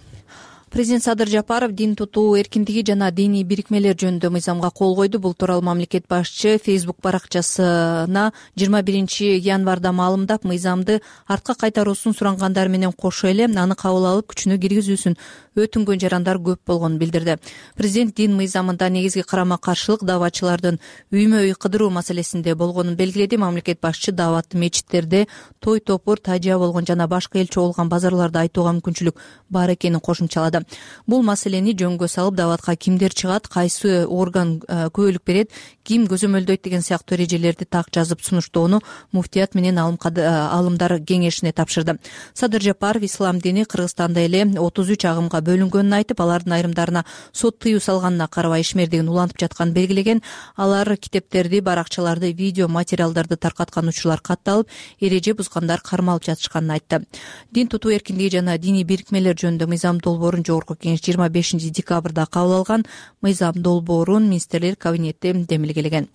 Президент Садыр Жапаров дин тутуу эркиндиги жана диний бирикмелер жөнүндө мыйзамга кол койду. Бул тууралуу мамлекет башчы Facebook баракчасына 21 январда маалымдап, мыйзамды артка кайтаруусун сурангандар менен кошо эле аны кабыл алып күчүнө киргизүүсүн өтүнгөн жарандар көп болгонун билдирди. Президент дин мыйзамында негизги карама-каршылык дааватчылардын үймө-үй кыдыруу маселесинде болгонун белгиледи. Мамлекет башчы дааватты мечиттерде той топур, тажия болгон жана башка эл чогулган базарларда айтууга мүмкүнчүлүк бар экенин кошумчалады. Бул маселени жөнгө салып, дааватка кимдер чыгат, кайсы орган күбөлүк берет, ким көзөмөлдөйт деген сыяктуу эрежелерди так жазып сунуштоону муфтият менен алымдар кеңешине тапшырды. Садыр Жапаров ислам дини Кыргызстанда эле 33 агымга бөлүнгөнүн айтып, алардын айрымдарына сот тыюу салганына карабай ишмердигин улантып жатканын белгилеген. Алар китептерди, баракчаларды, видео материалдарды таркаткан учурлар катталып, эреже бузгандар кармалып жатышканын айтты. Дин тутуу эркиндиги жана диний бирикмелер жөнүндө мыйзам долбоорун Жогорку кеңеш 25 декабрда кабыл алган. Мыйзам долбоорун министрлер кабинети демилгелеген.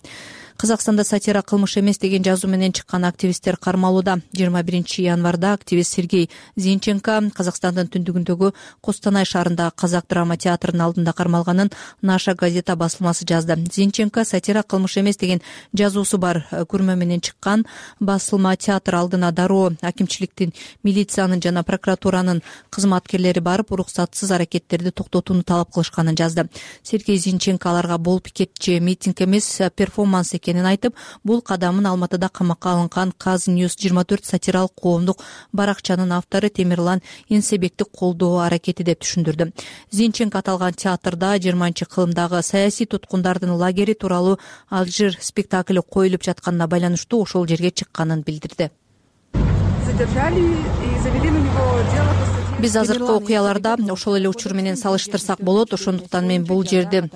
Казакстанда сатира кылмыш эмес деген жазуу менен чыккан активисттер кармалууда. 21 январда активист Сергей Зинченко Казакстандын түндүгүндөгү Костанай шаарындагы Казак драма театрынын алдында кармалганын Наша газета басылмасы жазды. Зинченко сатира кылмыш эмес деген жазуусу бар күрмө менен чыккан. Басылма театр алдына дароо акимчиликтин, милициянын жана прокуратуранын кызматкерлери барып, уруксатсыз аракеттерди токтотууну талап кылышканын жазды. Сергей Зинченко аларга бул пикет же митинг эмес, перформанс экенин айтып, бул кадамын Алматыда камакка алынган Казnews 24 сатиралык коомдук баракчанын автору Темирлан Энсебекти колдоо аракети деп түшүндүрдү. Зинченко аталган театрда 20-кылымдагы саясий туткундардын лагери тууралуу Алжир спектакли коюлуп жатканына байланыштуу ошол жерге чыкканын билдирди. Биз азыркы окуяларда ошол эле учур менен салыштырсак болот. Ошондуктан мен бул жерди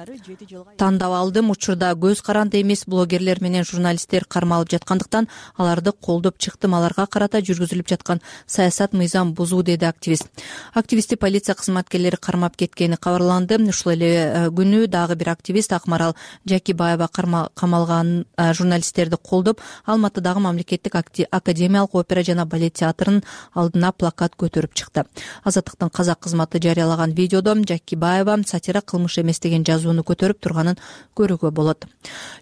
тандап алдым. Учурда көз каранды эмес блогерлер менен журналисттер кармалып жаткандыктан аларды колдоп чыктым. Аларга карата жүргүзүлүп жаткан саясат мыйзам бузуу, деди активист. Активистти полиция кызматкерлери кармап кеткени кабарланды. Ушул эле күнү дагы бир активист Акмарал Жакибаева камалган журналисттерди колдоп, Алматыдагы мамлекеттик академиялык опера жана балет театрынын алдына плакат көтөрүп чыкты. Азаттыктын казак кызматы жарыялаган видеодо Жакибаева сатира кылмыш эмес деген жазууну көтөрүп турганын көрүүгө болот.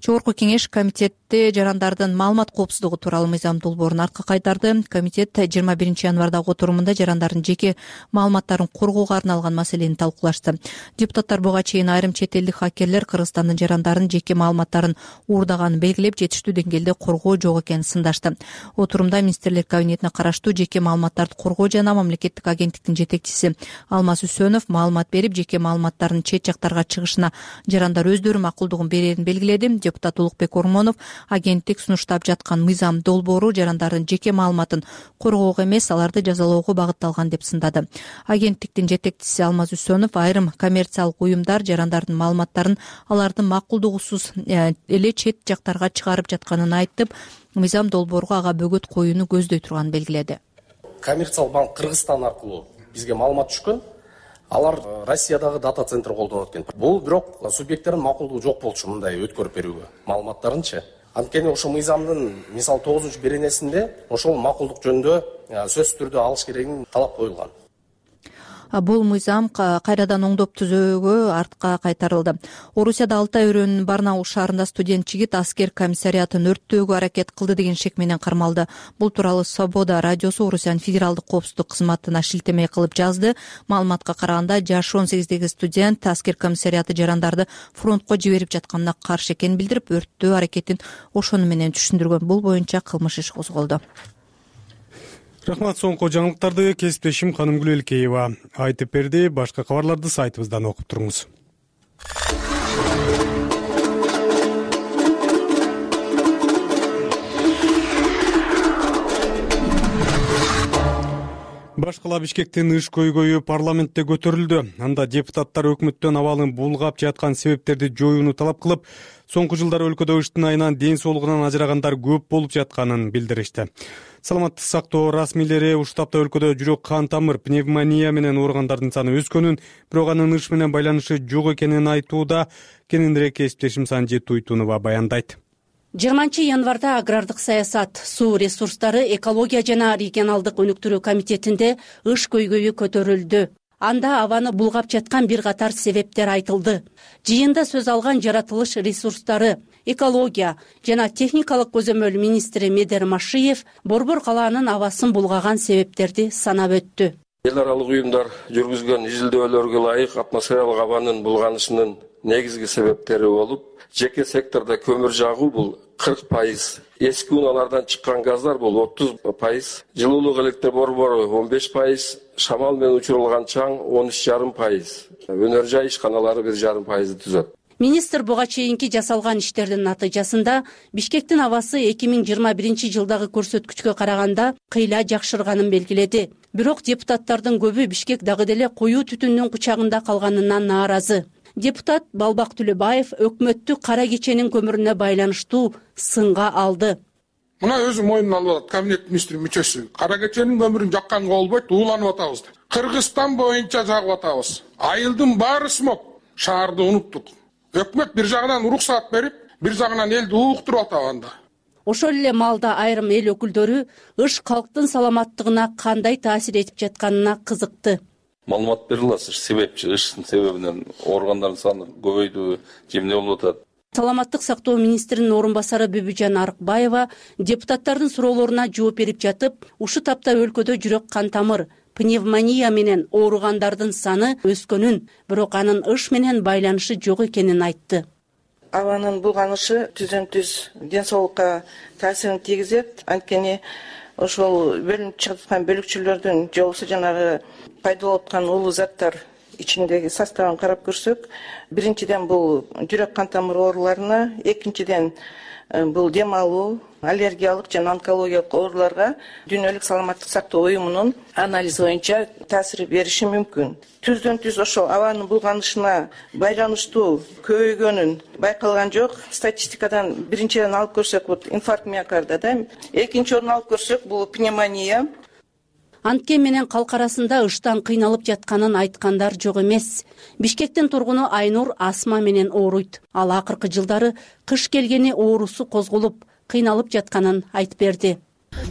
Жогорку кеңеш комитетте жарандардын маалымат коопсуздугу тууралуу мыйзам долбоорун артка кайтарды. Комитет 21 январдагы отурумунда жарандардын жеке маалыматтарын коргоого арналган маселени талкуулашты. Депутаттар буга чейин айрым чет элдик хакерлер Кыргызстандын жарандарын жеке маалыматтарын уурдаганын белгилеп, жетиштүү деңгээлде коргоо жок экенин сындашты. Отурумда министрлер кабинетине караштуу жеке маалыматтарды коргоо жана мамлекеттик агенттиктин жетекчиси Алмаз Үсөнов маалымат берип, жеке маалыматтардын чет жактарга чыгышына жарандар өздөрү макулдугун берерин белгиледи. Депутат Улукбек Ормонов агенттик сунуштап жаткан мыйзам долбоору жарандардын жеке маалыматын коргоого эмес, аларды жазалоого багытталган деп сындады. Агенттиктин жетекчиси Алмаз Үсөнов айрым коммерциялык уюмдар жарандардын маалыматтарын алардын макулдугусуз эле чет жактарга чыгарып жатканын айтып, мыйзам долбоорго ага бөгөт коюуну көздөй турганын белгиледи. Коммерциялык банк Кыргызстан аркылуу бизге маалымат түшкөн. Алар Россиядагы дата центр колдонот экен. Бул бирок субъекттердин макулдугу жок болчу мындай өткөрүп берүүгө маалыматтарынчы. Анткени ошо мыйзамдын мисалы 9-беренесинде ошол макулдук жөнүндө сөзсүз түрдө алыш керегин талап коюлган. бул мыйзам кайрадан оңдоп түзөөгө артка кайтарылды. Орусияда Алтай өрөөнүнүн Барнаул шаарында студент жигит аскер комиссариатын өрттөөгө аракет кылды деген шек менен кармалды. Бул тууралуу Свобода радиосу Орусиянын федералдык коопсуздук кызматына шилтеме кылып жазды. Маалыматка караганда жашы 18деги студент аскер комиссариаты жарандарды фронтко жиберип жатканына каршы экенин билдирип, өрттөө аракетин ошону менен түшүндүргөн. Бул боюнча кылмыш иш козголду. Рахмат. Соңку жаңылыктарды кесиптешим Канымгүл Элкеева айтып берди. Башка кабарларды сайтыбыздан окуп туруңуз. Башкала Бишкектин ыш көйгөйү парламентте көтөрүлдү. Анда депутаттар өкмөттөн абалын булгап жаткан себептерди жоюуну талап кылып, соңку жылдары өлкөдө ыштын айынан ден соолугунан ажырагандар көп болуп жатканын билдиришти. Саламаттык сактоо расмийлери ушул тапта өлкөдө жүрөк кан тамыр, пневмония менен ооругандардын саны өскөнүн, бирок анын ыш менен байланышы жок экенин айтууда. Кененирээк кесиптешим Санжи Туйтунова баяндайт. 20-январда агрардык саясат, суу ресурстары, экология жана регионалдык өнүктүрүү комитетинде ыш көйгөйү көтөрүлдү. Анда абаны булгап жаткан бир катар себептер айтылды. Жыйында сөз алган жаратылыш ресурстары, экология жана техникалык көзөмөл министри Медер Машиев Борбор калаанын абасын булгаган себептерди санап өттү. Эл аралык уюмдар жүргүзгөн изилдөөлөргө ылайык атмосфералык абанын булганышынын негизги себептери болуп, жеке сектордо көмүр жагуу бул 40%, эски унаалардан чыккан газдар бул 30%, жылуулук электр борбору 15%, шамал менен учурулган чаң 13,5%, өнөр жай ишканалары 1,5% түзөт. Министр буга чейинки жасалган иштердин натыйжасында Бишкектин абасы 2021 жылдагы көрсөткүчкө караганда кыйла жакшырганын белгиледи. Бирок депутаттардын көбү Бишкек дагы деле коюу түтүндүн кучагында калганынан нааразы. Депутат Балбак Түлөбаев өкмөттү кара кеченин көмүрүнө байланыштуу сынга алды. Мына өзү мойнуна алып атат кабинет министри мүчөсү. Кара кеченин көмүрүн жакканга болбойт, ууланып атабыз. Кыргызстан боюнча жагып атабыз. Айылдын баары смог. Шаарды уnuттук. Өкмөт бир жагынан уруксаат берип, бир жагынан элди ууктуруп атат анда. Ошол эле маалда айрым эл өкүлдөрү ыш калктын саламаттыгына кандай таасир этип жатканына кызыкты. Маалымат бере аласыз, себепчи ыштын себебинен ооругандардын саны көбөйдүбү, же эмне болуп атат? Саламаттык сактоо министринин орун басары Бүбүжан Арыкбаева депутаттардын суроолоруна жооп берип жатып, ушул тапта өлкөдө жүрөк кан тамыр, пневмония менен ооругандардын саны өскөнүн, бирок анын ыш менен байланышы жок экенин айтты. Абанын булганышы түзөн-түз ден соолукка таасирин тийгизет. Анткени ошол бөлүнүп чыгып аткан бөлүкчөлөрдүн же болбосо жанагы пайда болуп аткан улуу заттар ичиндеги составын карап көрсөк, биринчиден бул жүрөк кан тамыр ооруларына, экинчиден бул дем алуу, аллергиялык жана онкологиялык ооруларга Дүйнөлүк саламаттык сактоо уюмунун анализи боюнча таасир бериши мүмкүн. Түздөн-түз ошол абанын булганышына байланыштуу көбөйгөнүн байкалган жок. Статистикадан биринчиден алып көрсөк, бул инфаркт миокарда да, экинчи орун алып көрсөк, бул пневмония. Анткен менен калк арасында ыштан кыйналып жатканын айткандар жок эмес. Бишкектин тургуну Айнур астма менен ооруйт. Ал акыркы жылдары кыш келгени оорусу козголуп, кыйналып жатканын айтып берди.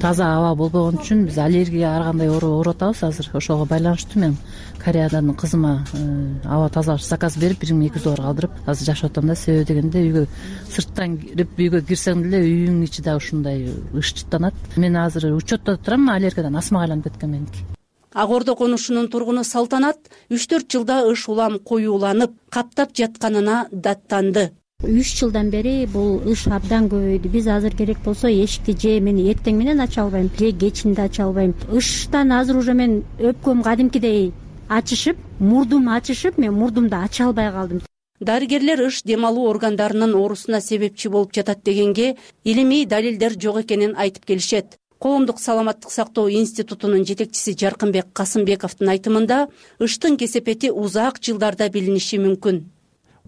Таза аба болбогон үчүн биз аллергия ар кандай ооруп атабыз азыр. Ошого байланыштуу мен Кореядан кызыма аба тазалагыч заказ берип 1200 доллар калдырып азыр жашап атам да. Себеби дегенде үйгө сырттан кирип үйгө кирсең деле үйүңдүн ичи да ушундай ыш чыттанат. Мен азыр учетто турам, аллергиядан астмага айланып кеткен меники. Ак Ордо конушунун тургуну Салтанат 3-4 жылда ыш улам коюуланып, каптап жатканына даттанды. 3 жылдан бери бул ыш абдан көбөйдү. Биз азыр керек болсо эшикти же мен эртең менен ача албайм, же кечинде ача албайм. Ыштан азыр уже мен өпкөм кадимкидей ачышып, мурдум ачышып, мен мурдумду ача албай калдым. Дарыгерлер ыш дем алуу органдарынын оорусуна себепчи болуп жатат дегенге илимий далилдер жок экенин айтып келишет. Коомдук саламаттык сактоо институтунун жетекчиси Жаркынбек Касымбековдун айтымында ыштын кесепети узак жылдарда билиниши мүмкүн.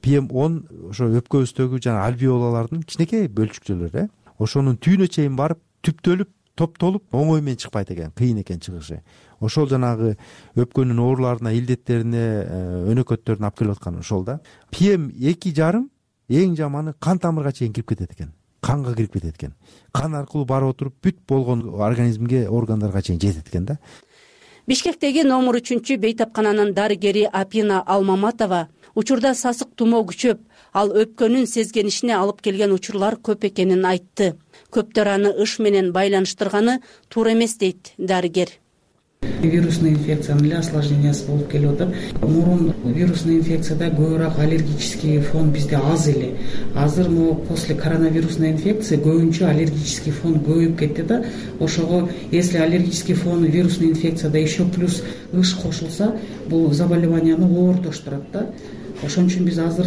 PM10 ошо өпкөбүздөгү жана альвеолалардын кичинекей бөлчүктөлөрү, ошонун түйүнө чейин барып, түптөлүп, топтолуп, оңой менен чыкпайт экен, кыйын экен чыгышы. Ошол жанагы өпкөнүн ооруларына, илдеттерине, өнөкөттөрүнө алып келип аткан ошол да. PM2,5 эң жаманы кан тамырга чейин кирип кетет экен. Канга кирип кетет экен. Кан аркылуу барып отуруп бүт болгон организмге, органдарга чейин жетет экен да. Бишкектеги номер 3 бейтапкананын дарыгери Апина Алмаматова учурда сасык тумоо күчөп, ал өпкөнүн сезгенишине алып келген учурлар көп экенин айтты. Көптөр аны ыш менен байланыштырганы туура эмес дейт дарыгер. Вирусный инфекциянын эле осложнениясы болуп келип атат. Мурун вирусный инфекцияда көбүрөөк аллергический фон бизде аз эле. Азыр могу после коронавирусной инфекции көбүнчө аллергический фон көбөйүп кетти да. Ошого если аллергический фон вирусный инфекцияда еще плюс ыш кошулса, бул заболеванияны оорутуштурат да. Ошон үчүн биз азыр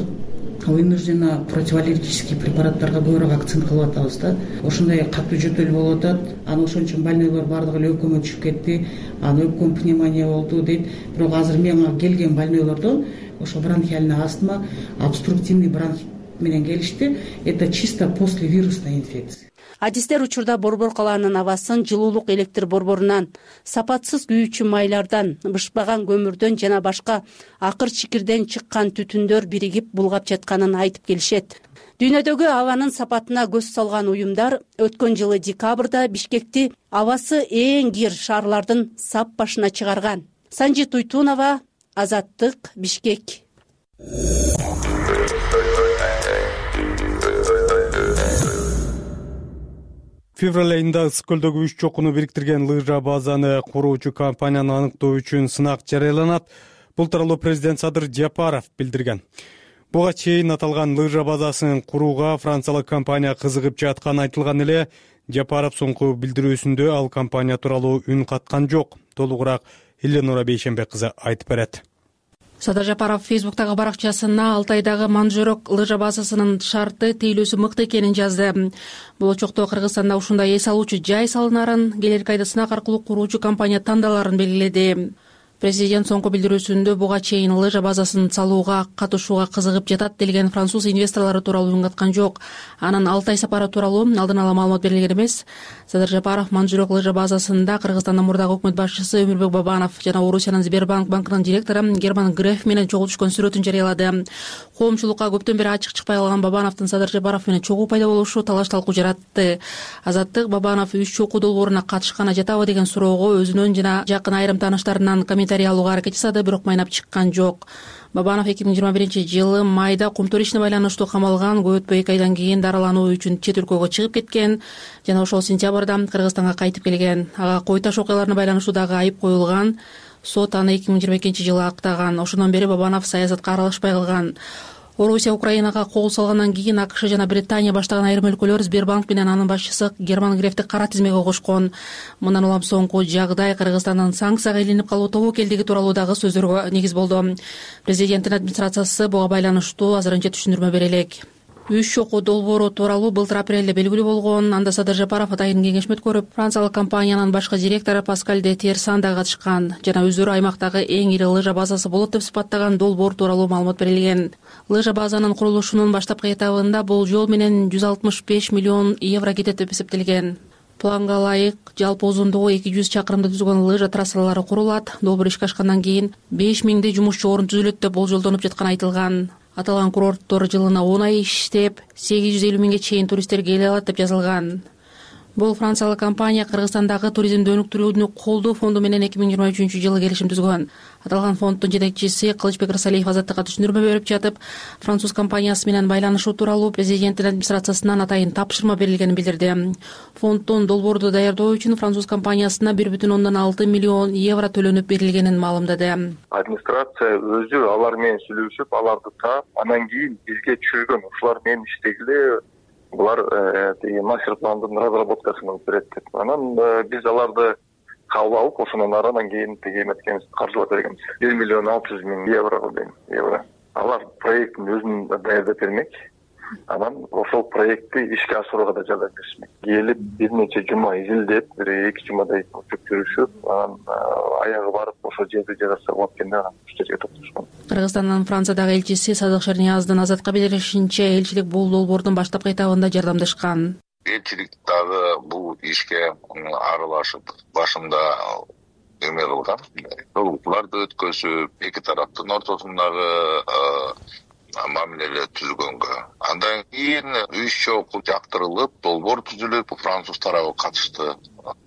вынужденно противоаллергический препараттарга көбүрөөк акцент кылып атабыз да. Ошондой катуу жөтөл болуп атат. Аны ошон үчүн больнойлор бардыгы эле өкмө түшүп кетти. Аны өпкөн пневмония болду дейт. Бирок азыр мага келген больнойлордон ошо бронхиальный астма, обструктивный бронхит менен келишти. Это чисто после вирусной инфекции. Адистер учурда Борбор калаанын абасын жылуулук электр борборунан, сапатсыз күйүүчү майлардан, бышпаган көмүрдөн жана башка акыр чикирден чыккан түтүндөр биригип булгап жатканын айтып келишет. Дүйнөдөгү абанын сапатына көз салган уюмдар өткөн жылы декабрда Бишкекти абасы эң кир шаарлардын сап башына чыгарган. Санжи Туйтунова, Азаттык, Бишкек. Февраль айында ысык көлдөгү 3 чокуну бириктирген лыжа базаны куруучу компанияны аныктоо үчүн сынак жарыяланат. Бул тууралуу президент Садыр Жапаров билдирген. Буга чейин аталган лыжа базасын курууга франциялык компания кызыгып жатканы айтылган эле. Жапаров соңку билдирүүсүндө ал компания тууралуу үн каткан жок. Толугураак Эленора Бейшенбек кызы айтып берет. Садыр Жапаров Фейсбуктагы баракчасына Алтайдагы Манжурок лыжа базасынын шарты тейлөөсү мыкты экенин жазды. Болочокто Кыргызстанда ушундай эс алуучу жай салынарын, келерки айда сынак аркылуу куруучу компания тандаларын белгиледи. Президент соңку билдирүүсүндө буга чейин лыжа базасын салууга катышууга кызыгып жатат делген француз инвесторлору тууралуу үн каткан жок. Анын Алтай сапары тууралуу алдын ала маалымат берилген эмес. Садыр Жапаров Манжурок лыжа базасында Кыргызстандын мурдагы өкмөт башчысы Өмүрбек Бабанов жана Орусиянын Сбербанк банкынын директору Герман Греф менен чогуу түшкөн сүрөтүн жарыялады. Коомчулукка көптөн бери ачык чыкпай калган Бабановдун Садыр Жапаров менен чогуу пайда болушу талаш-талкуу жаратты. Азаттык Бабанов 3 чокуу долбооруна катышканы жатабы деген суроого өзүнөн жана жакын айрым тааныштарынан комментарий алууга аракет жасады, бирок майнап чыккан жок. Бабанов 2021-жылы майда кумтур ишине байланыштуу камалган, көп өтпөй 2 айдан кийин дарылануу үчүн чет өлкөгө чыгып кеткен жана ошол сентябрда Кыргызстанга кайтып келген. Ага кой таш окуяларына байланыштуу дагы айып коюлган. Сот аны 2022-жылы актаган. Ошондон бери Бабанов саясатка аралашпай калган. Орусия Украинага кол салгандан кийин АКШ жана Британия баштаган айрым өлкөлөр Сбербанк менен анын башчысы Герман Грефти кара тизмеге кошкон. Мындан улам соңку жагдай Кыргызстандын санкцияга илинип калуу тобокелдиги тууралуу дагы сөздөргө негиз болду. Президенттин администрациясы буга байланыштуу азырынча түшүндүрмө бере элек. 3 чокуу долбоору тууралуу былтыр апрелде белгилүү болгон. Анда Садыр Жапаров атайын кеңешме өткөрүп, франциялык компаниянын башкы директору Паскаль де Тирсан да катышкан жана өздөрү аймактагы эң ири лыжа базасы болот деп сыпаттаган долбоор тууралуу маалымат берилген. Лыжа базанын курулушунун баштапкы этабында бул жол менен 165 миллион евро кетет деп эсептелген. Планга ылайык жалпы узундугу 200 чакырымды түзгөн лыжа трассалары курулат. Долбоор ишке ашкандан кийин 5000 жумушчу орун түзүлөт деп болжолдонуп жатканы айтылган. Аталган курорттор жылына 10 ай иштеп, 850 миңге чейин туристтер келе алат деп жазылган. Бул франциялык компания Кыргызстандагы туризмди өнүктүрүүнү колдоо фонду менен 2023-жылы келишим түзгөн. Аталган фонддун жетекчиси Кылычбек Рысалиев Азаттыкка түшүндүрмө берип жатып, француз компаниясы менен байланышуу тууралуу президенттин администрациясынан атайын тапшырма берилгенин билдирди. Фонддун долбоорду даярдоо үчүн француз компаниясына 1,6 миллион евро төлөнүп берилгенин маалымдады. Администрация өзү алар менен сүйлөшүп, аларды таап, анан кийин бизге түшүргөн. Ушулар менен иштегиле, булар мастер пландын разработкасын алып берет деп. Анан биз аларды кабыл алып, ошондон анан кийин эметкенбиз, каржылап бергенбиз. 1,6 миллион евро. Алар проекттин өзүн даярдап бермек. Анан ошол проектти ишке ашырууга да жардам беришмек. Келип бир нече жума изилдеп, 2 жумадай өтүп, анан аягы барып ошол жерди жараса болот экенде анан иштерге токтошкон. Кыргызстандын Франциядагы элчиси Садык Шернияздын Азатка билдиришинче, элчилик бул долбоордун баштапкы этабында жардамдашкан. Элчилик дагы бул ишке аралашып, башында эме кылган. Толуктууларды өткөзүп, эки тараптын ортосундагы мамиле түзгөнгө. Андан кийин 3 чоку жактырылып, долбоор түзүлүп, француз тарабы катышты.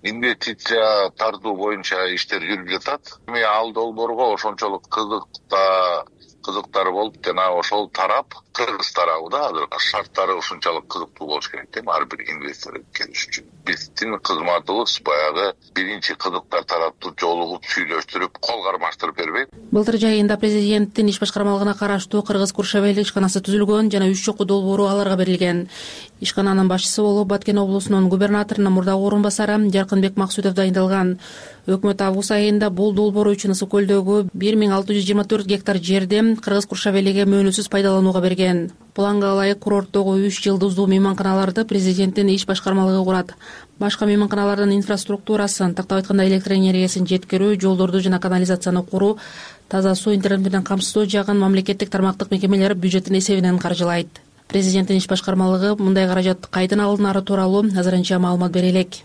Инвестиция тартуу боюнча иштер жүрүп жатат. Ал долбоорго ошончолук кызыктар болуп, жана ошол тарап Кыргыз тарабы да азыр шарттары ушунчалык кызыктуу болуш керек да ар бир инвестор келиш үчүн. Биздин кызматыбыз баягы биринчи кызыктар тарапты жолугуп, сүйлөштүрүп, кол кармаштырып бербейт. Былтыр жайында президенттин иш башкармалыгына караштуу Кыргыз Куршавели ишканасы түзүлгөн жана 3 чокку долбоору аларга берилген. Ишкананын башчысы болуп Баткен облусунун губернаторунун мурдагы орун басары Жаркынбек Максутов дайындалган. Өкмөт август айында бул долбоор үчүн Ысык көлдөгү 1624 гектар жерди Кыргыз Куршавелиге мөөнөтсүз пайдаланууга берген. Планга ылайык курорттогу 3 жылдыздуу мейманканаларды президенттин иш башкармалыгы курат. Башка мейманканалардын инфраструктурасын, тактап айтканда электр энергиясын жеткирүү, жолдорду жана канализацияны куруу, таза суу, интернет менен камсыздоо жагын мамлекеттик тармактык мекемелер бюджеттин эсебинен каржылайт. Президенттин иш башкармалыгы мындай каражат кайдан алынары тууралуу азырынча маалымат бере элек.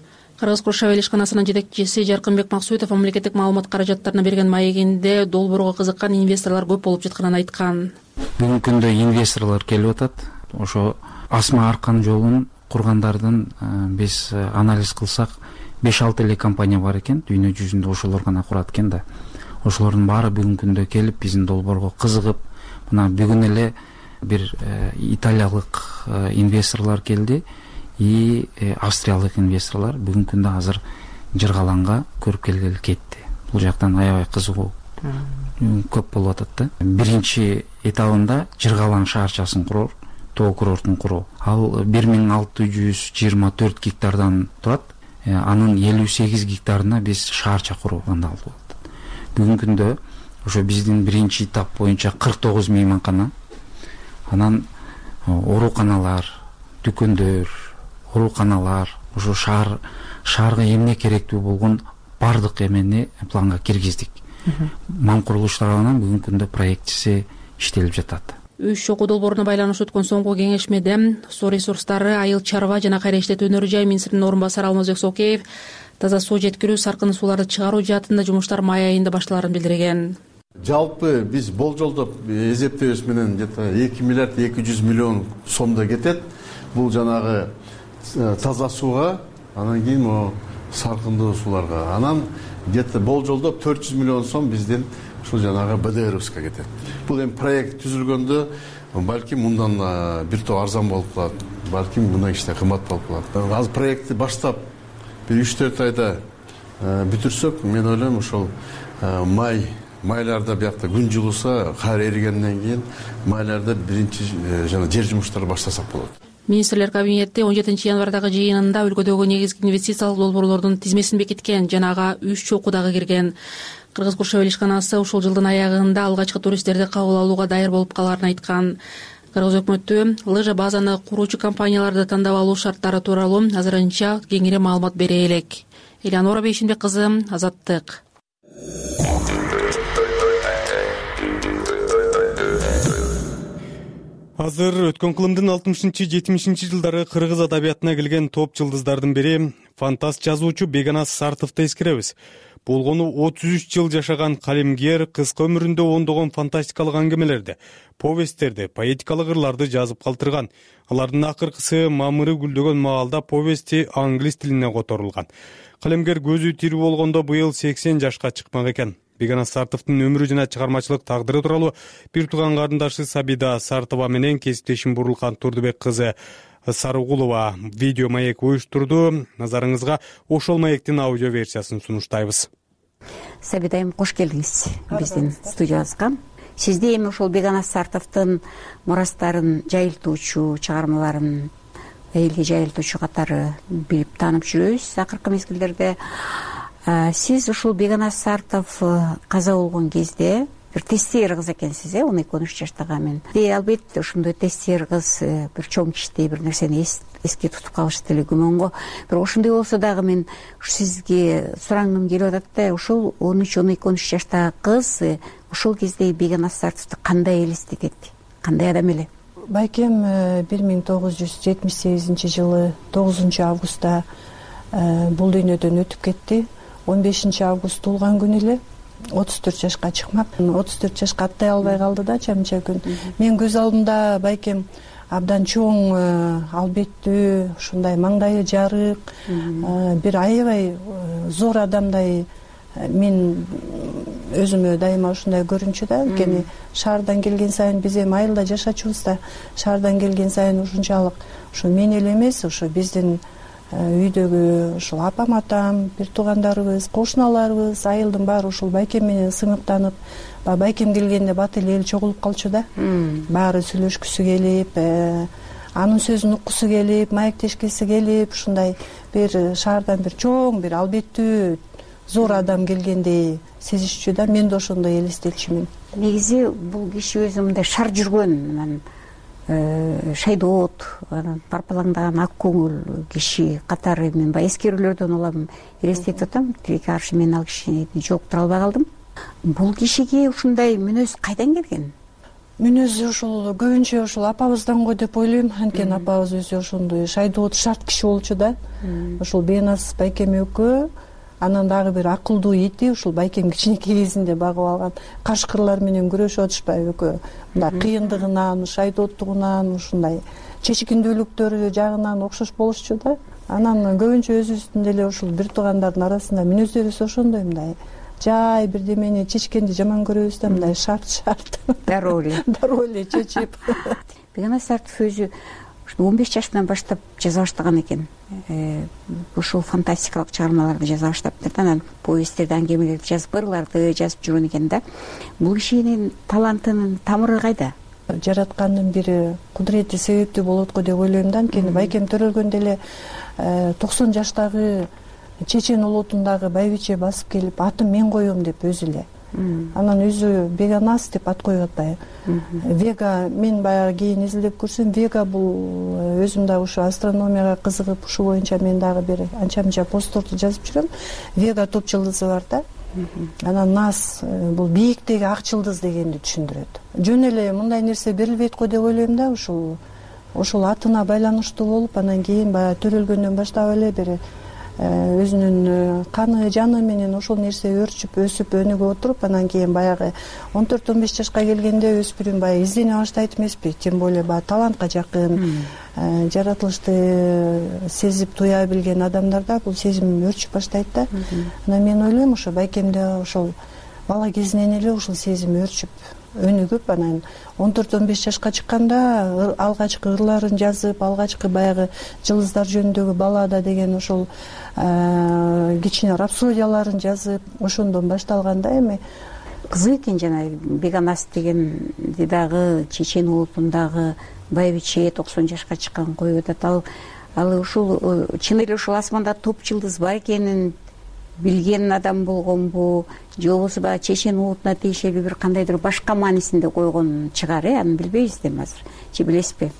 Кыргыз Куршавели ишканасынын жетекчиси Жаркынбек Максутов мамлекеттик маалымат каражаттарына берген маегинде долбоорго кызыккан инвесторлор көп болуп жатканын айткан. Бүгүнкү күндө инвесторлор келип атат. Ошо Асма Аркан жолун кургандардын биз анализ кылсак 5-6 эле компания бар экен. Дүйнө жүзүндө ошолор гана курат экен да. Ошолордун баары бүгүнкү күндө келип биздин долбоорго кызыгып, мына бүгүн эле бир италиялык инвесторлор келди и австриялык инвесторлор бүгүнкү күндө азыр Жыргаланга көрүп келгели кетти. Бул жактан аябай кызыгуу көп болуп атат да. Биринчи этабында Жыргалан шаарчасын куруу, тоо курортун куруу. Ал 1624 гектардан турат. Анын 58 гектарына биз шаарча куруу андалып атат. Бүгүнкү күндө ошо биздин биринчи этап боюнча 49 мейманкана, анан ооруканалар, дүкөндөр, ооруканалар, ошо шаарга эмне керектүү болгон бардык эмени планга киргиздик. Мам курулуштарынан бүгүнкү күндө проектиси иштелип жатат. 3 чокку долбооруна байланыштуу өткөн соңку кеңешмеде суу ресурстары, айыл чарба жана кайра иштетүү өнөр жай министринин орун басары Алмазбек Сокеев таза суу жеткирүү, саркын сууларды чыгаруу жаатында жумуштар май айында башталарын билдирген. Жалпы биз болжолдоп эсептөөбүз менен 2 миллиард 200 миллион сомдо кетет. Бул жанагы таза сууга, анан кийин саркындуу сууларга. Анан болжолдоп 400 миллион сом биздин ушул жанагы БДРовска кетет. Бул эми проект түзүлгөндө балким мындан бир топ арзан болуп калат, балким мындай иште кымбат болуп калат. Азыр проектти баштап бир 3-4 айда бүтүрсөк, мен ойлойм ошол майларда биякта күн жылууса, кар эригенден кийин майларда биринчи жана жер жумуштары баштасак болот. Министрлер кабинети 17 январдагы жыйынында өлкөдөгү негизги инвестициялык долбоорлордун тизмесин бекиткен, жана ага 3 чокку дагы кирген. Кыргыз Куршавели ишканасы ушул жылдын аягында алгачкы туристтерди кабыл алууга даяр болуп каларын айткан. Кыргыз өкмөтү лыжа базаны куруучу компанияларды тандап алуу шарттары тууралуу азырынча кеңири маалымат бере элек. Элеонора Бейшинбек кызы, Азаттык. Азыр өткөн кылымдын 60-70 жылдары кыргыз адабиятына келген топ жылдыздардын бири фантаст жазуучу Бегоназ Сартовду эскеребиз. Болгону 33 жыл жашаган калемгер кыска өмүрүндө ондогон фантастикалык аңгемелерди, повесттерди, поэтикалык ырларды жазып калтырган. Алардын акыркысы мамыры гүлдөгөн маалда повести англис тилине которулган. Калемгер көзү тирүү болгондо быйыл 80 жашка чыкмак экен. Бегоназ Сартовдун өмүрү жана чыгармачылык тагдыры тууралуу бир тууган карындашы Сабида Сартова менен кесиптешим Бурулкан Турдубек кызы Сарыгулова видео маек уюштурду. Назарыңызга ошол маектин аудио версиясын сунуштайбыз. Сабида айым, кош келдиңиз биздин студиябызга. Сизди эми ошол Бегоназ Сартовдун мурастарын жайылтуучу, чыгармаларын элге жайылтуучу катары билип таанып жүрөбүз акыркы мезгилдерде. Сиз ушул Бегоназ Сартов каза болгон кезде бир тестер кыз экенсиз, 12-13 жаштагы мен. Албетте ошондой тестер кыз бир чоң кичтей бир нерсени эске тутуп калыш деле күмөнгө. Бирок ошондой болсо дагы мен сизге сурангым келип атат да, ушул 13-12 жаштагы кыз ошол кезде Бегоназ Сартовду кандай элестетет, кандай адам эле? Байкем 1978 жылы 9 августта бул дүйнөдөн өтүп кетти. 15 август туулган күнү эле. 34 жашка чыкмак. 34 жашка аттай албай калды да анча күн. Мен көз алдымда байкем абдан чоң, албеттүү, ушундай маңдайы жарык, бир аябай зор адамдай мен өзүмө дайыма ушундай көрүнчү да. Анткени шаардан келген сайын биз эми айылда жашачубуз да, шаардан келген сайын ушунчалык ушу мен эле эмес, ушу биздин үйдөгү ушул апам атам, бир туугандарыбыз, кошуналарыбыз, айылдын баары ушул байкем менен сыңыктанып, байкем келгенде бат эле эл чогулуп калчу да. Баары сүйлөшкүсү келип, анын сөзүн уккусу келип, маектешкиси келип, ушундай бир шаардан бир чоң, бир албеттүү зор адам келгендей сезишчү да. Мен да ошондой элестетчүмүн. Негизи бул киши өзү мындай шар жүргөн, шайдоот, парпалаңдаган ак көңүл киши катары мен баягы эскерүүлөрдөн улам элестетип атам. Тилекке каршы мен ал кишини жолуктура албай калдым. Бул кишиге ушундай мүнөз кайдан келген? Мүнөзү ушул көбүнчө ушул апабыздан го деп ойлойм. Анткени апабыз өзү ошондой шайдоот, шарт киши болчу да. Ушул Бенас байкем экөө, анан дагы бир акылдуу ити ушул байкем кичинекей кезинде багып алган кашкырлар менен күрөшүп атышпайбы экөө. Мындай кыйындыгынан, шайдооттугунан, ушундай чечкиндүүлүктөрү жагынан окшош болушчу да. Анан көбүнчө өзүбүздүн деле ушул бир туугандардын арасында мүнөздөрүбүз ошондой, мындай жай бирдемени чечкенди жаман көрөбүз да, мындай шарт дароо эле чечип. Бегана Сартов өзү 15 жаштан баштап жаза баштаган экен. Ушул фантастикалык чыгармаларды жаза баштаптыр да, анан повесттерди, аңгемелерди жазып, ырларды жазып жүргөн экен да. Бул кишинин талантынын тамыры кайда? Жараткандын бир кудурети себептүү болот го деп ойлойм да. Анткени байкем төрөлгөндө эле 90 жаштагы чечен улутундагы байбиче басып келип, атын мен коем деп өзү эле. Анан өзү Беганас деп ат коюп атпайбы. Вега, мен баягы кийин изилдеп көрсөм, Вега бул өзүм дагы ушу астрономияга кызыгып, ушу боюнча мен дагы бир анча-мынча постторду жазып жүрөм. Вега топ жылдызы бар да. Анан Нас бул бийиктеги ак жылдыз дегенди түшүндүрөт. Жөн эле мындай нерсе берилбейт го деп ойлойм да. Ушул атына байланыштуу болуп, анан кийин баягы төрөлгөндөн баштап эле бир өзүнүн каны жаны менен ошол нерсе өрчүп, өсүп, өнүгүп отуруп, анан кийин баягы 14-15 жашка келгенде өспүрүм баягы издене баштайт эмеспи? Тем более баягы талантка жакын, жаратылышты сезип туя билген адамдарда бул сезим өрчүп баштайт да. Анан мен ойлойм, ошо байкемде ошол бала кезинен эле ушул сезим өрчүп, өнүгүп, анан 14-15 жашка чыкканда алгачкы ырларын жазып, алгачкы баягы жылдыздар жөнүндөгү баллада деген ошол кичине рапсодияларын жазып, ошондон башталган да. Эми кызык экен, жана Беганас деген дагы чечен улутундагы байбиче 90 жашка чыккан коюп атат. Ал ушул чын эле ушул асманда топ жылдыз бар экенин билген адам болгонбу, же болбосо баягы чечен улутуна тиешелүү бир кандайдыр башка маанисинде койгон чыгар, аны билбейбиз да азыр. Же билесизби?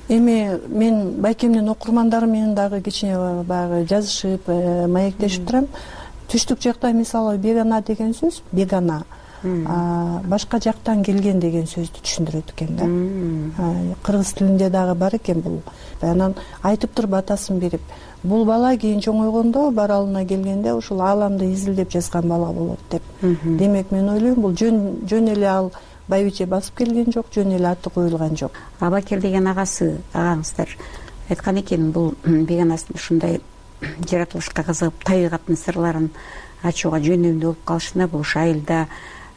Эми мен байкемдин окурмандарым менен дагы кичине баягы жазышып, маектешип турам. Түштүк жакта мисалы Бегана деген сөз, Бегана башка жактан келген деген сөздү түшүндүрөт экен да. Кыргыз тилинде дагы бар экен бул. Анан айтып туруп атасын берип, бул бала кийин чоңойгондо баралына келгенде ушул ааламды изилдеп жазган бала болот деп. Демек мен ойлойм, бул жөн эле ал байбиче басып келген жок, жөн эле аты коюлган жок. Абакер деген агаңыздар айткан экен, бул Беганастын ушундай жаратылышка кызыгып, табигаттын сырларын ачууга жөндөмдүү болуп калышына бул айылда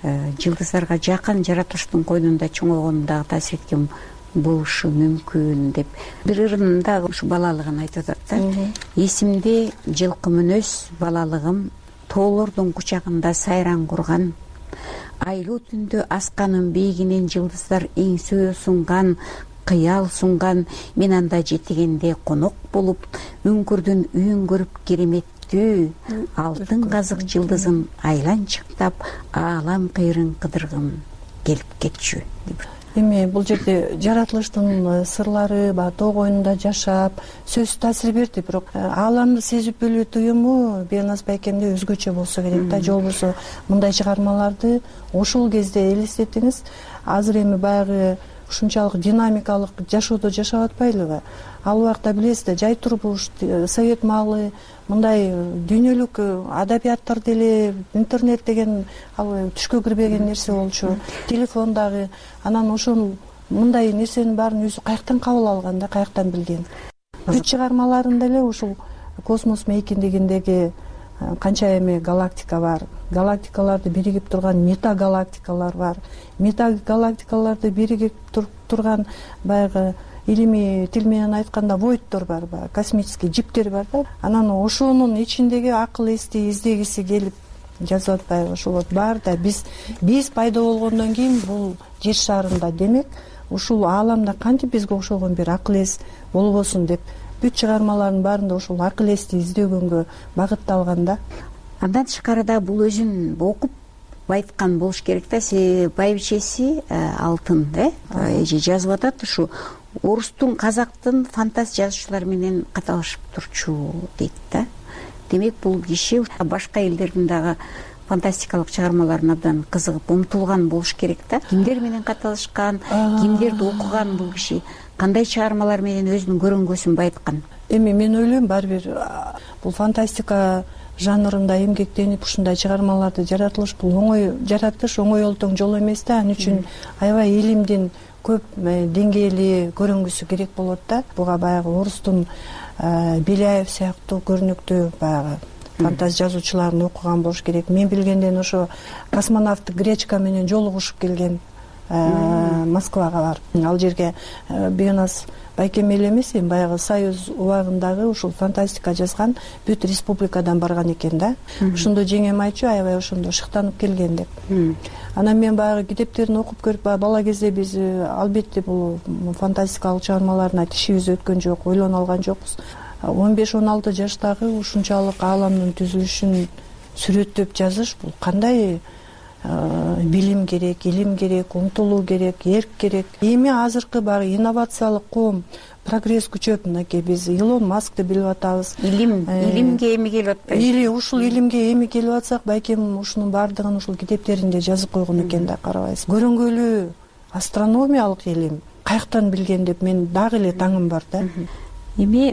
жылдыздарга жакын, жаратылыштын койнунда чоңойгонун дагы таасир эткен болушу мүмкүн деп. Бир ырында ушу балалыгын айтып атат да. Эсимде жылкы мүнөз балалыгым, тоолордун кучагында сайран курган, айлуу түндө асканын бийигинен жылдыздар эңсөө сунган, кыял сунган, мен анда жетигенде конок болуп, үңкүрдүн үйүн көрүп кереметтүү, алтын казык жылдызын айланчыктап, аалам кыйрын кыдыргым келип кетчү. Эми бул жерде жаратылыштын сырлары, тоо койнунда жашап, сөзсүз таасир берди, бирок ааламды сезип билүү туюму Бенас байкемде өзгөчө болсо керек да. Же болбосо мындай чыгармаларды ошол кезде элестетиңиз. Азыр эми баягы ушунчалык динамикалык жашоодо жашап атпайлыбы? Ал убакта билесиз да, жай турмуш, совет маалы, мындай дүйнөлүк адабияттар деле, интернет деген ал түшкө кирбеген нерсе болчу, телефон дагы. Анан ошол мындай нерсенин баарын өзү каяктан кабыл алган да, каяктан билген? Бүт чыгармаларында эле ушул космос мейкиндигиндеги канча эме галактика бар, галактикаларды биригип турган метагалактикалар бар, метагалактикаларды биригип турган баягы илимий тил менен айтканда войдтор бар, баягы космический жиптер бар да. Анан ошонун ичиндеги акыл эсти издегиси келип жазып атпайбы? Ошол вот бар да, биз пайда болгондон кийин бул жер шарында, демек ушул ааламда кантип бизге окшогон бир акыл эс болбосун деп бүт чыгармалардын баарында ошол акыл эсти издөгөнгө багытталган да. Андан тышкары да бул өзүн окуп байыткан болуш керек да. Байбичеси Алтын эже жазып атат, ушу орустун, казактын фантаз жазуучулар менен каталашып турчу дейт да. Демек бул киши башка элдердин дагы фантастикалык чыгармаларына абдан кызыгып умтулган болуш керек да. Кимдер менен каталышкан, кимдерди окуган бул киши, кандай чыгармалар менен өзүнүн көрөңгөсүн байыткан? Эми мен ойлойм, баары бир бул фантастика жанрында эмгектенип ушундай чыгармаларды жаратылыш бул оңой жаратыш, оңой олтоң жол эмес да. Ал үчүн аябай илимдин көп деңгээли көрүнгүсү керек болот да. Буга баягы орустун Беляев сыяктуу көрүнүктүү баягы фантаз жазуучуларын окуган болуш керек. Мен билгенден ошо космонавт Гречка менен жолугушуп келген Москвага барып, ал жерге Бегнас байкем эле эмес, баягы Союз убагындагы ушул фантастика жазган бүт республикадан барган экен да. Ошондо жеңем айтчу, аябай ошондо шыктанып келген деп. Анан мен баягы китептерин окуп көрүп, бала кезде биз албетте бул фантастикалык чыгармаларына тишибиз өткөн жок, ойлоно алган жокпуз. 15-16 жаштагы ушунчалык ааламдын түзүлүшүн сүрөттөп жазыш бул кандай билим керек, илим керек, умтулуу керек, эрк керек. Эми азыркы баягы инновациялык коом, прогресс күчөп, мынакей биз Илон Маскты билип атабыз. Илимге эми келип атпайбы? Или ушул илимге эми келип атсак, байкем ушунун баардыгын ушул китептеринде жазып койгон экен да, карабайсыз. Көрүнгөлүү астрономиялык илим каяктан билген деп мен дагы эле таңым бар да. Эми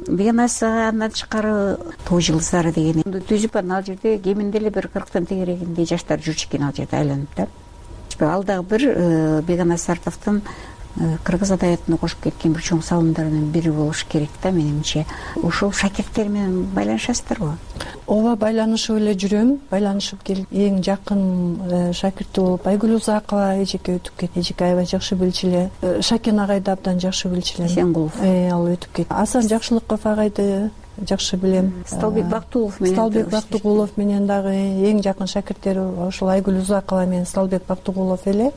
Бегнас андан тышкары Тоо жылдыздары деген түзүп, анан ал жерде кеминде эле бир 40тан тегерегиндей жаштар жүрчү экен ал жерде айланып да. Ал дагы бир Бегнас Сартовдун кыргыз адабиятына кошуп кеткен бир чоң салымдарынын бири болуш керек да, менимче. Ошол шакирттер менен байланышасыздарбы? Ооба, байланышып эле жүрөм. Байланышып келип, эң жакын шакирти болуп Айгүл Узакова эжеке өтүп кетти. Эжеке аябай жакшы билчү эле. Шакен агайды абдан жакшы билчү элем. Эсенгулов. Ал өтүп кетти. Асан Жакшылыков агайды жакшы билем. Сталбек Бактыгулов менен дагы эң жакын шакирттери ошол Айгүл Узакова менен Сталбек Бактыгулов эле.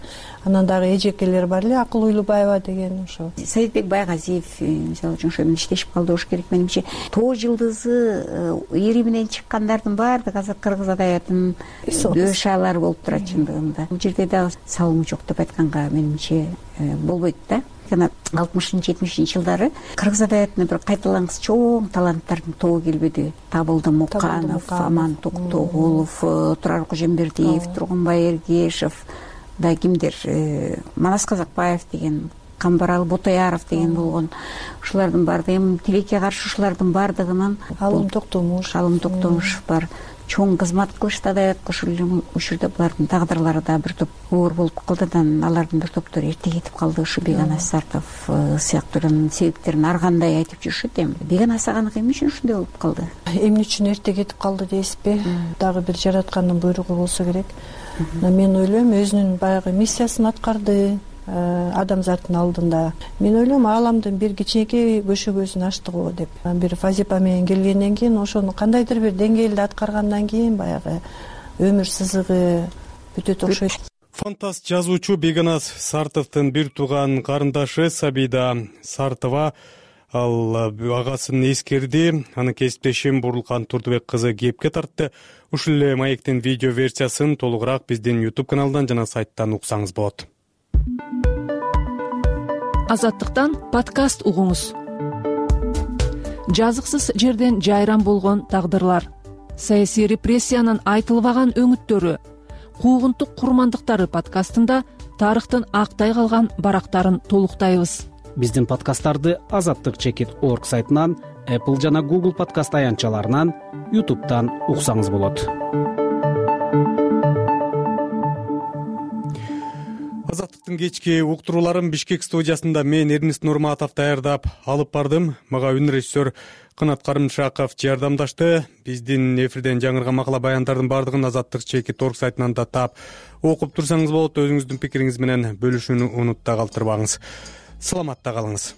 Анан дагы эжекелер бар эле, Акыл Уйлубаева деген ошо. Советбек Байгазиев мисалы үчүн ошо менен иштешип калды болуш керек менимче. Тоо жылдызы ири менен чыккандардын баардыгы азыр кыргыз адабиятынын дөшалары болуп турат чындыгында. Бул жерде дагы салымы жок деп айтканга менимче болбойт да. Жана 60-70 жылдары кыргыз адабиятына бир кайталангыс чоң таланттардын тобу келбеди. Табылды Муканов, Аман Токтогулов, Турар Кожембердиев, Тургунбай Эргешев, да кимдер, Манас Казакбаев деген, Камбарал Ботояров деген болгон. Ушулардын баардыгы тилекке каршы ушулардын баардыгынын Алым Токтомуш бар. Чоң кызмат кылышты адабиятка ушурда булардын тагдырлары да бир топ оор болуп калды да, алардын бир топтору эрте кетип калды. Ушу Бегнас Сартов сыяктуулардын себептерин ар кандай айтып жүрүшөт. Эми Бегнас аганыкы эмне үчүн ушундай болуп калды? Эмне үчүн эрте кетип калды дейсизби? Дагы бир жараткандын буйругу болсо керек. Мен ойлойм, өзүнүн баягы миссиясын аткарды адамзаттын алдында. Мен ойлойм, ааламдын бир кичинекей көшөгөсүн ачты го деп. Бир Фазипа менен келгенден кийин, ошону кандайдыр бир деңгээлде аткаргандан кийин баягы өмүр сызыгы бүтөт окшойт. Фантаст жазуучу Бегнас Сартовдун бир тууган карындашы Сабида Сартова ал агасын эскерди. Анын кесиптешим Бурлкан Турдубек кызы кепке тартты. Ушул эле маектин видео версиясын толугураак биздин YouTube каналдан жана сайттан уксаңыз болот. Азаттыктан подкаст угуңуз. Жазыксыз жерден жайран болгон тагдырлар, саясий репрессиянын айтылбаган өңүттөрү, куугунтук курмандыктары подкастында тарыхтын актай калган барактарын толуктайбыз. Биздин подкасттарды azattik.org сайтынан, Apple жана Google подкаст аянтчаларынан, YouTube'дан уксаңыз болот. Азаттыктын кечки уктурууларын Бишкек студиясында мен Эрнест Нурматов даярдап алып бардым. Мага үн режиссер Кынат Карымшаков жардамдашты. Биздин эфирден жаңырган макала баяндардын бардыгын azattik.org сайтынан да таап окуп турсаңыз болот. Өзүңүздүн пикириңиз менен бөлүшүүнү унутта калтырбаңыз. Саламатта калыңыз.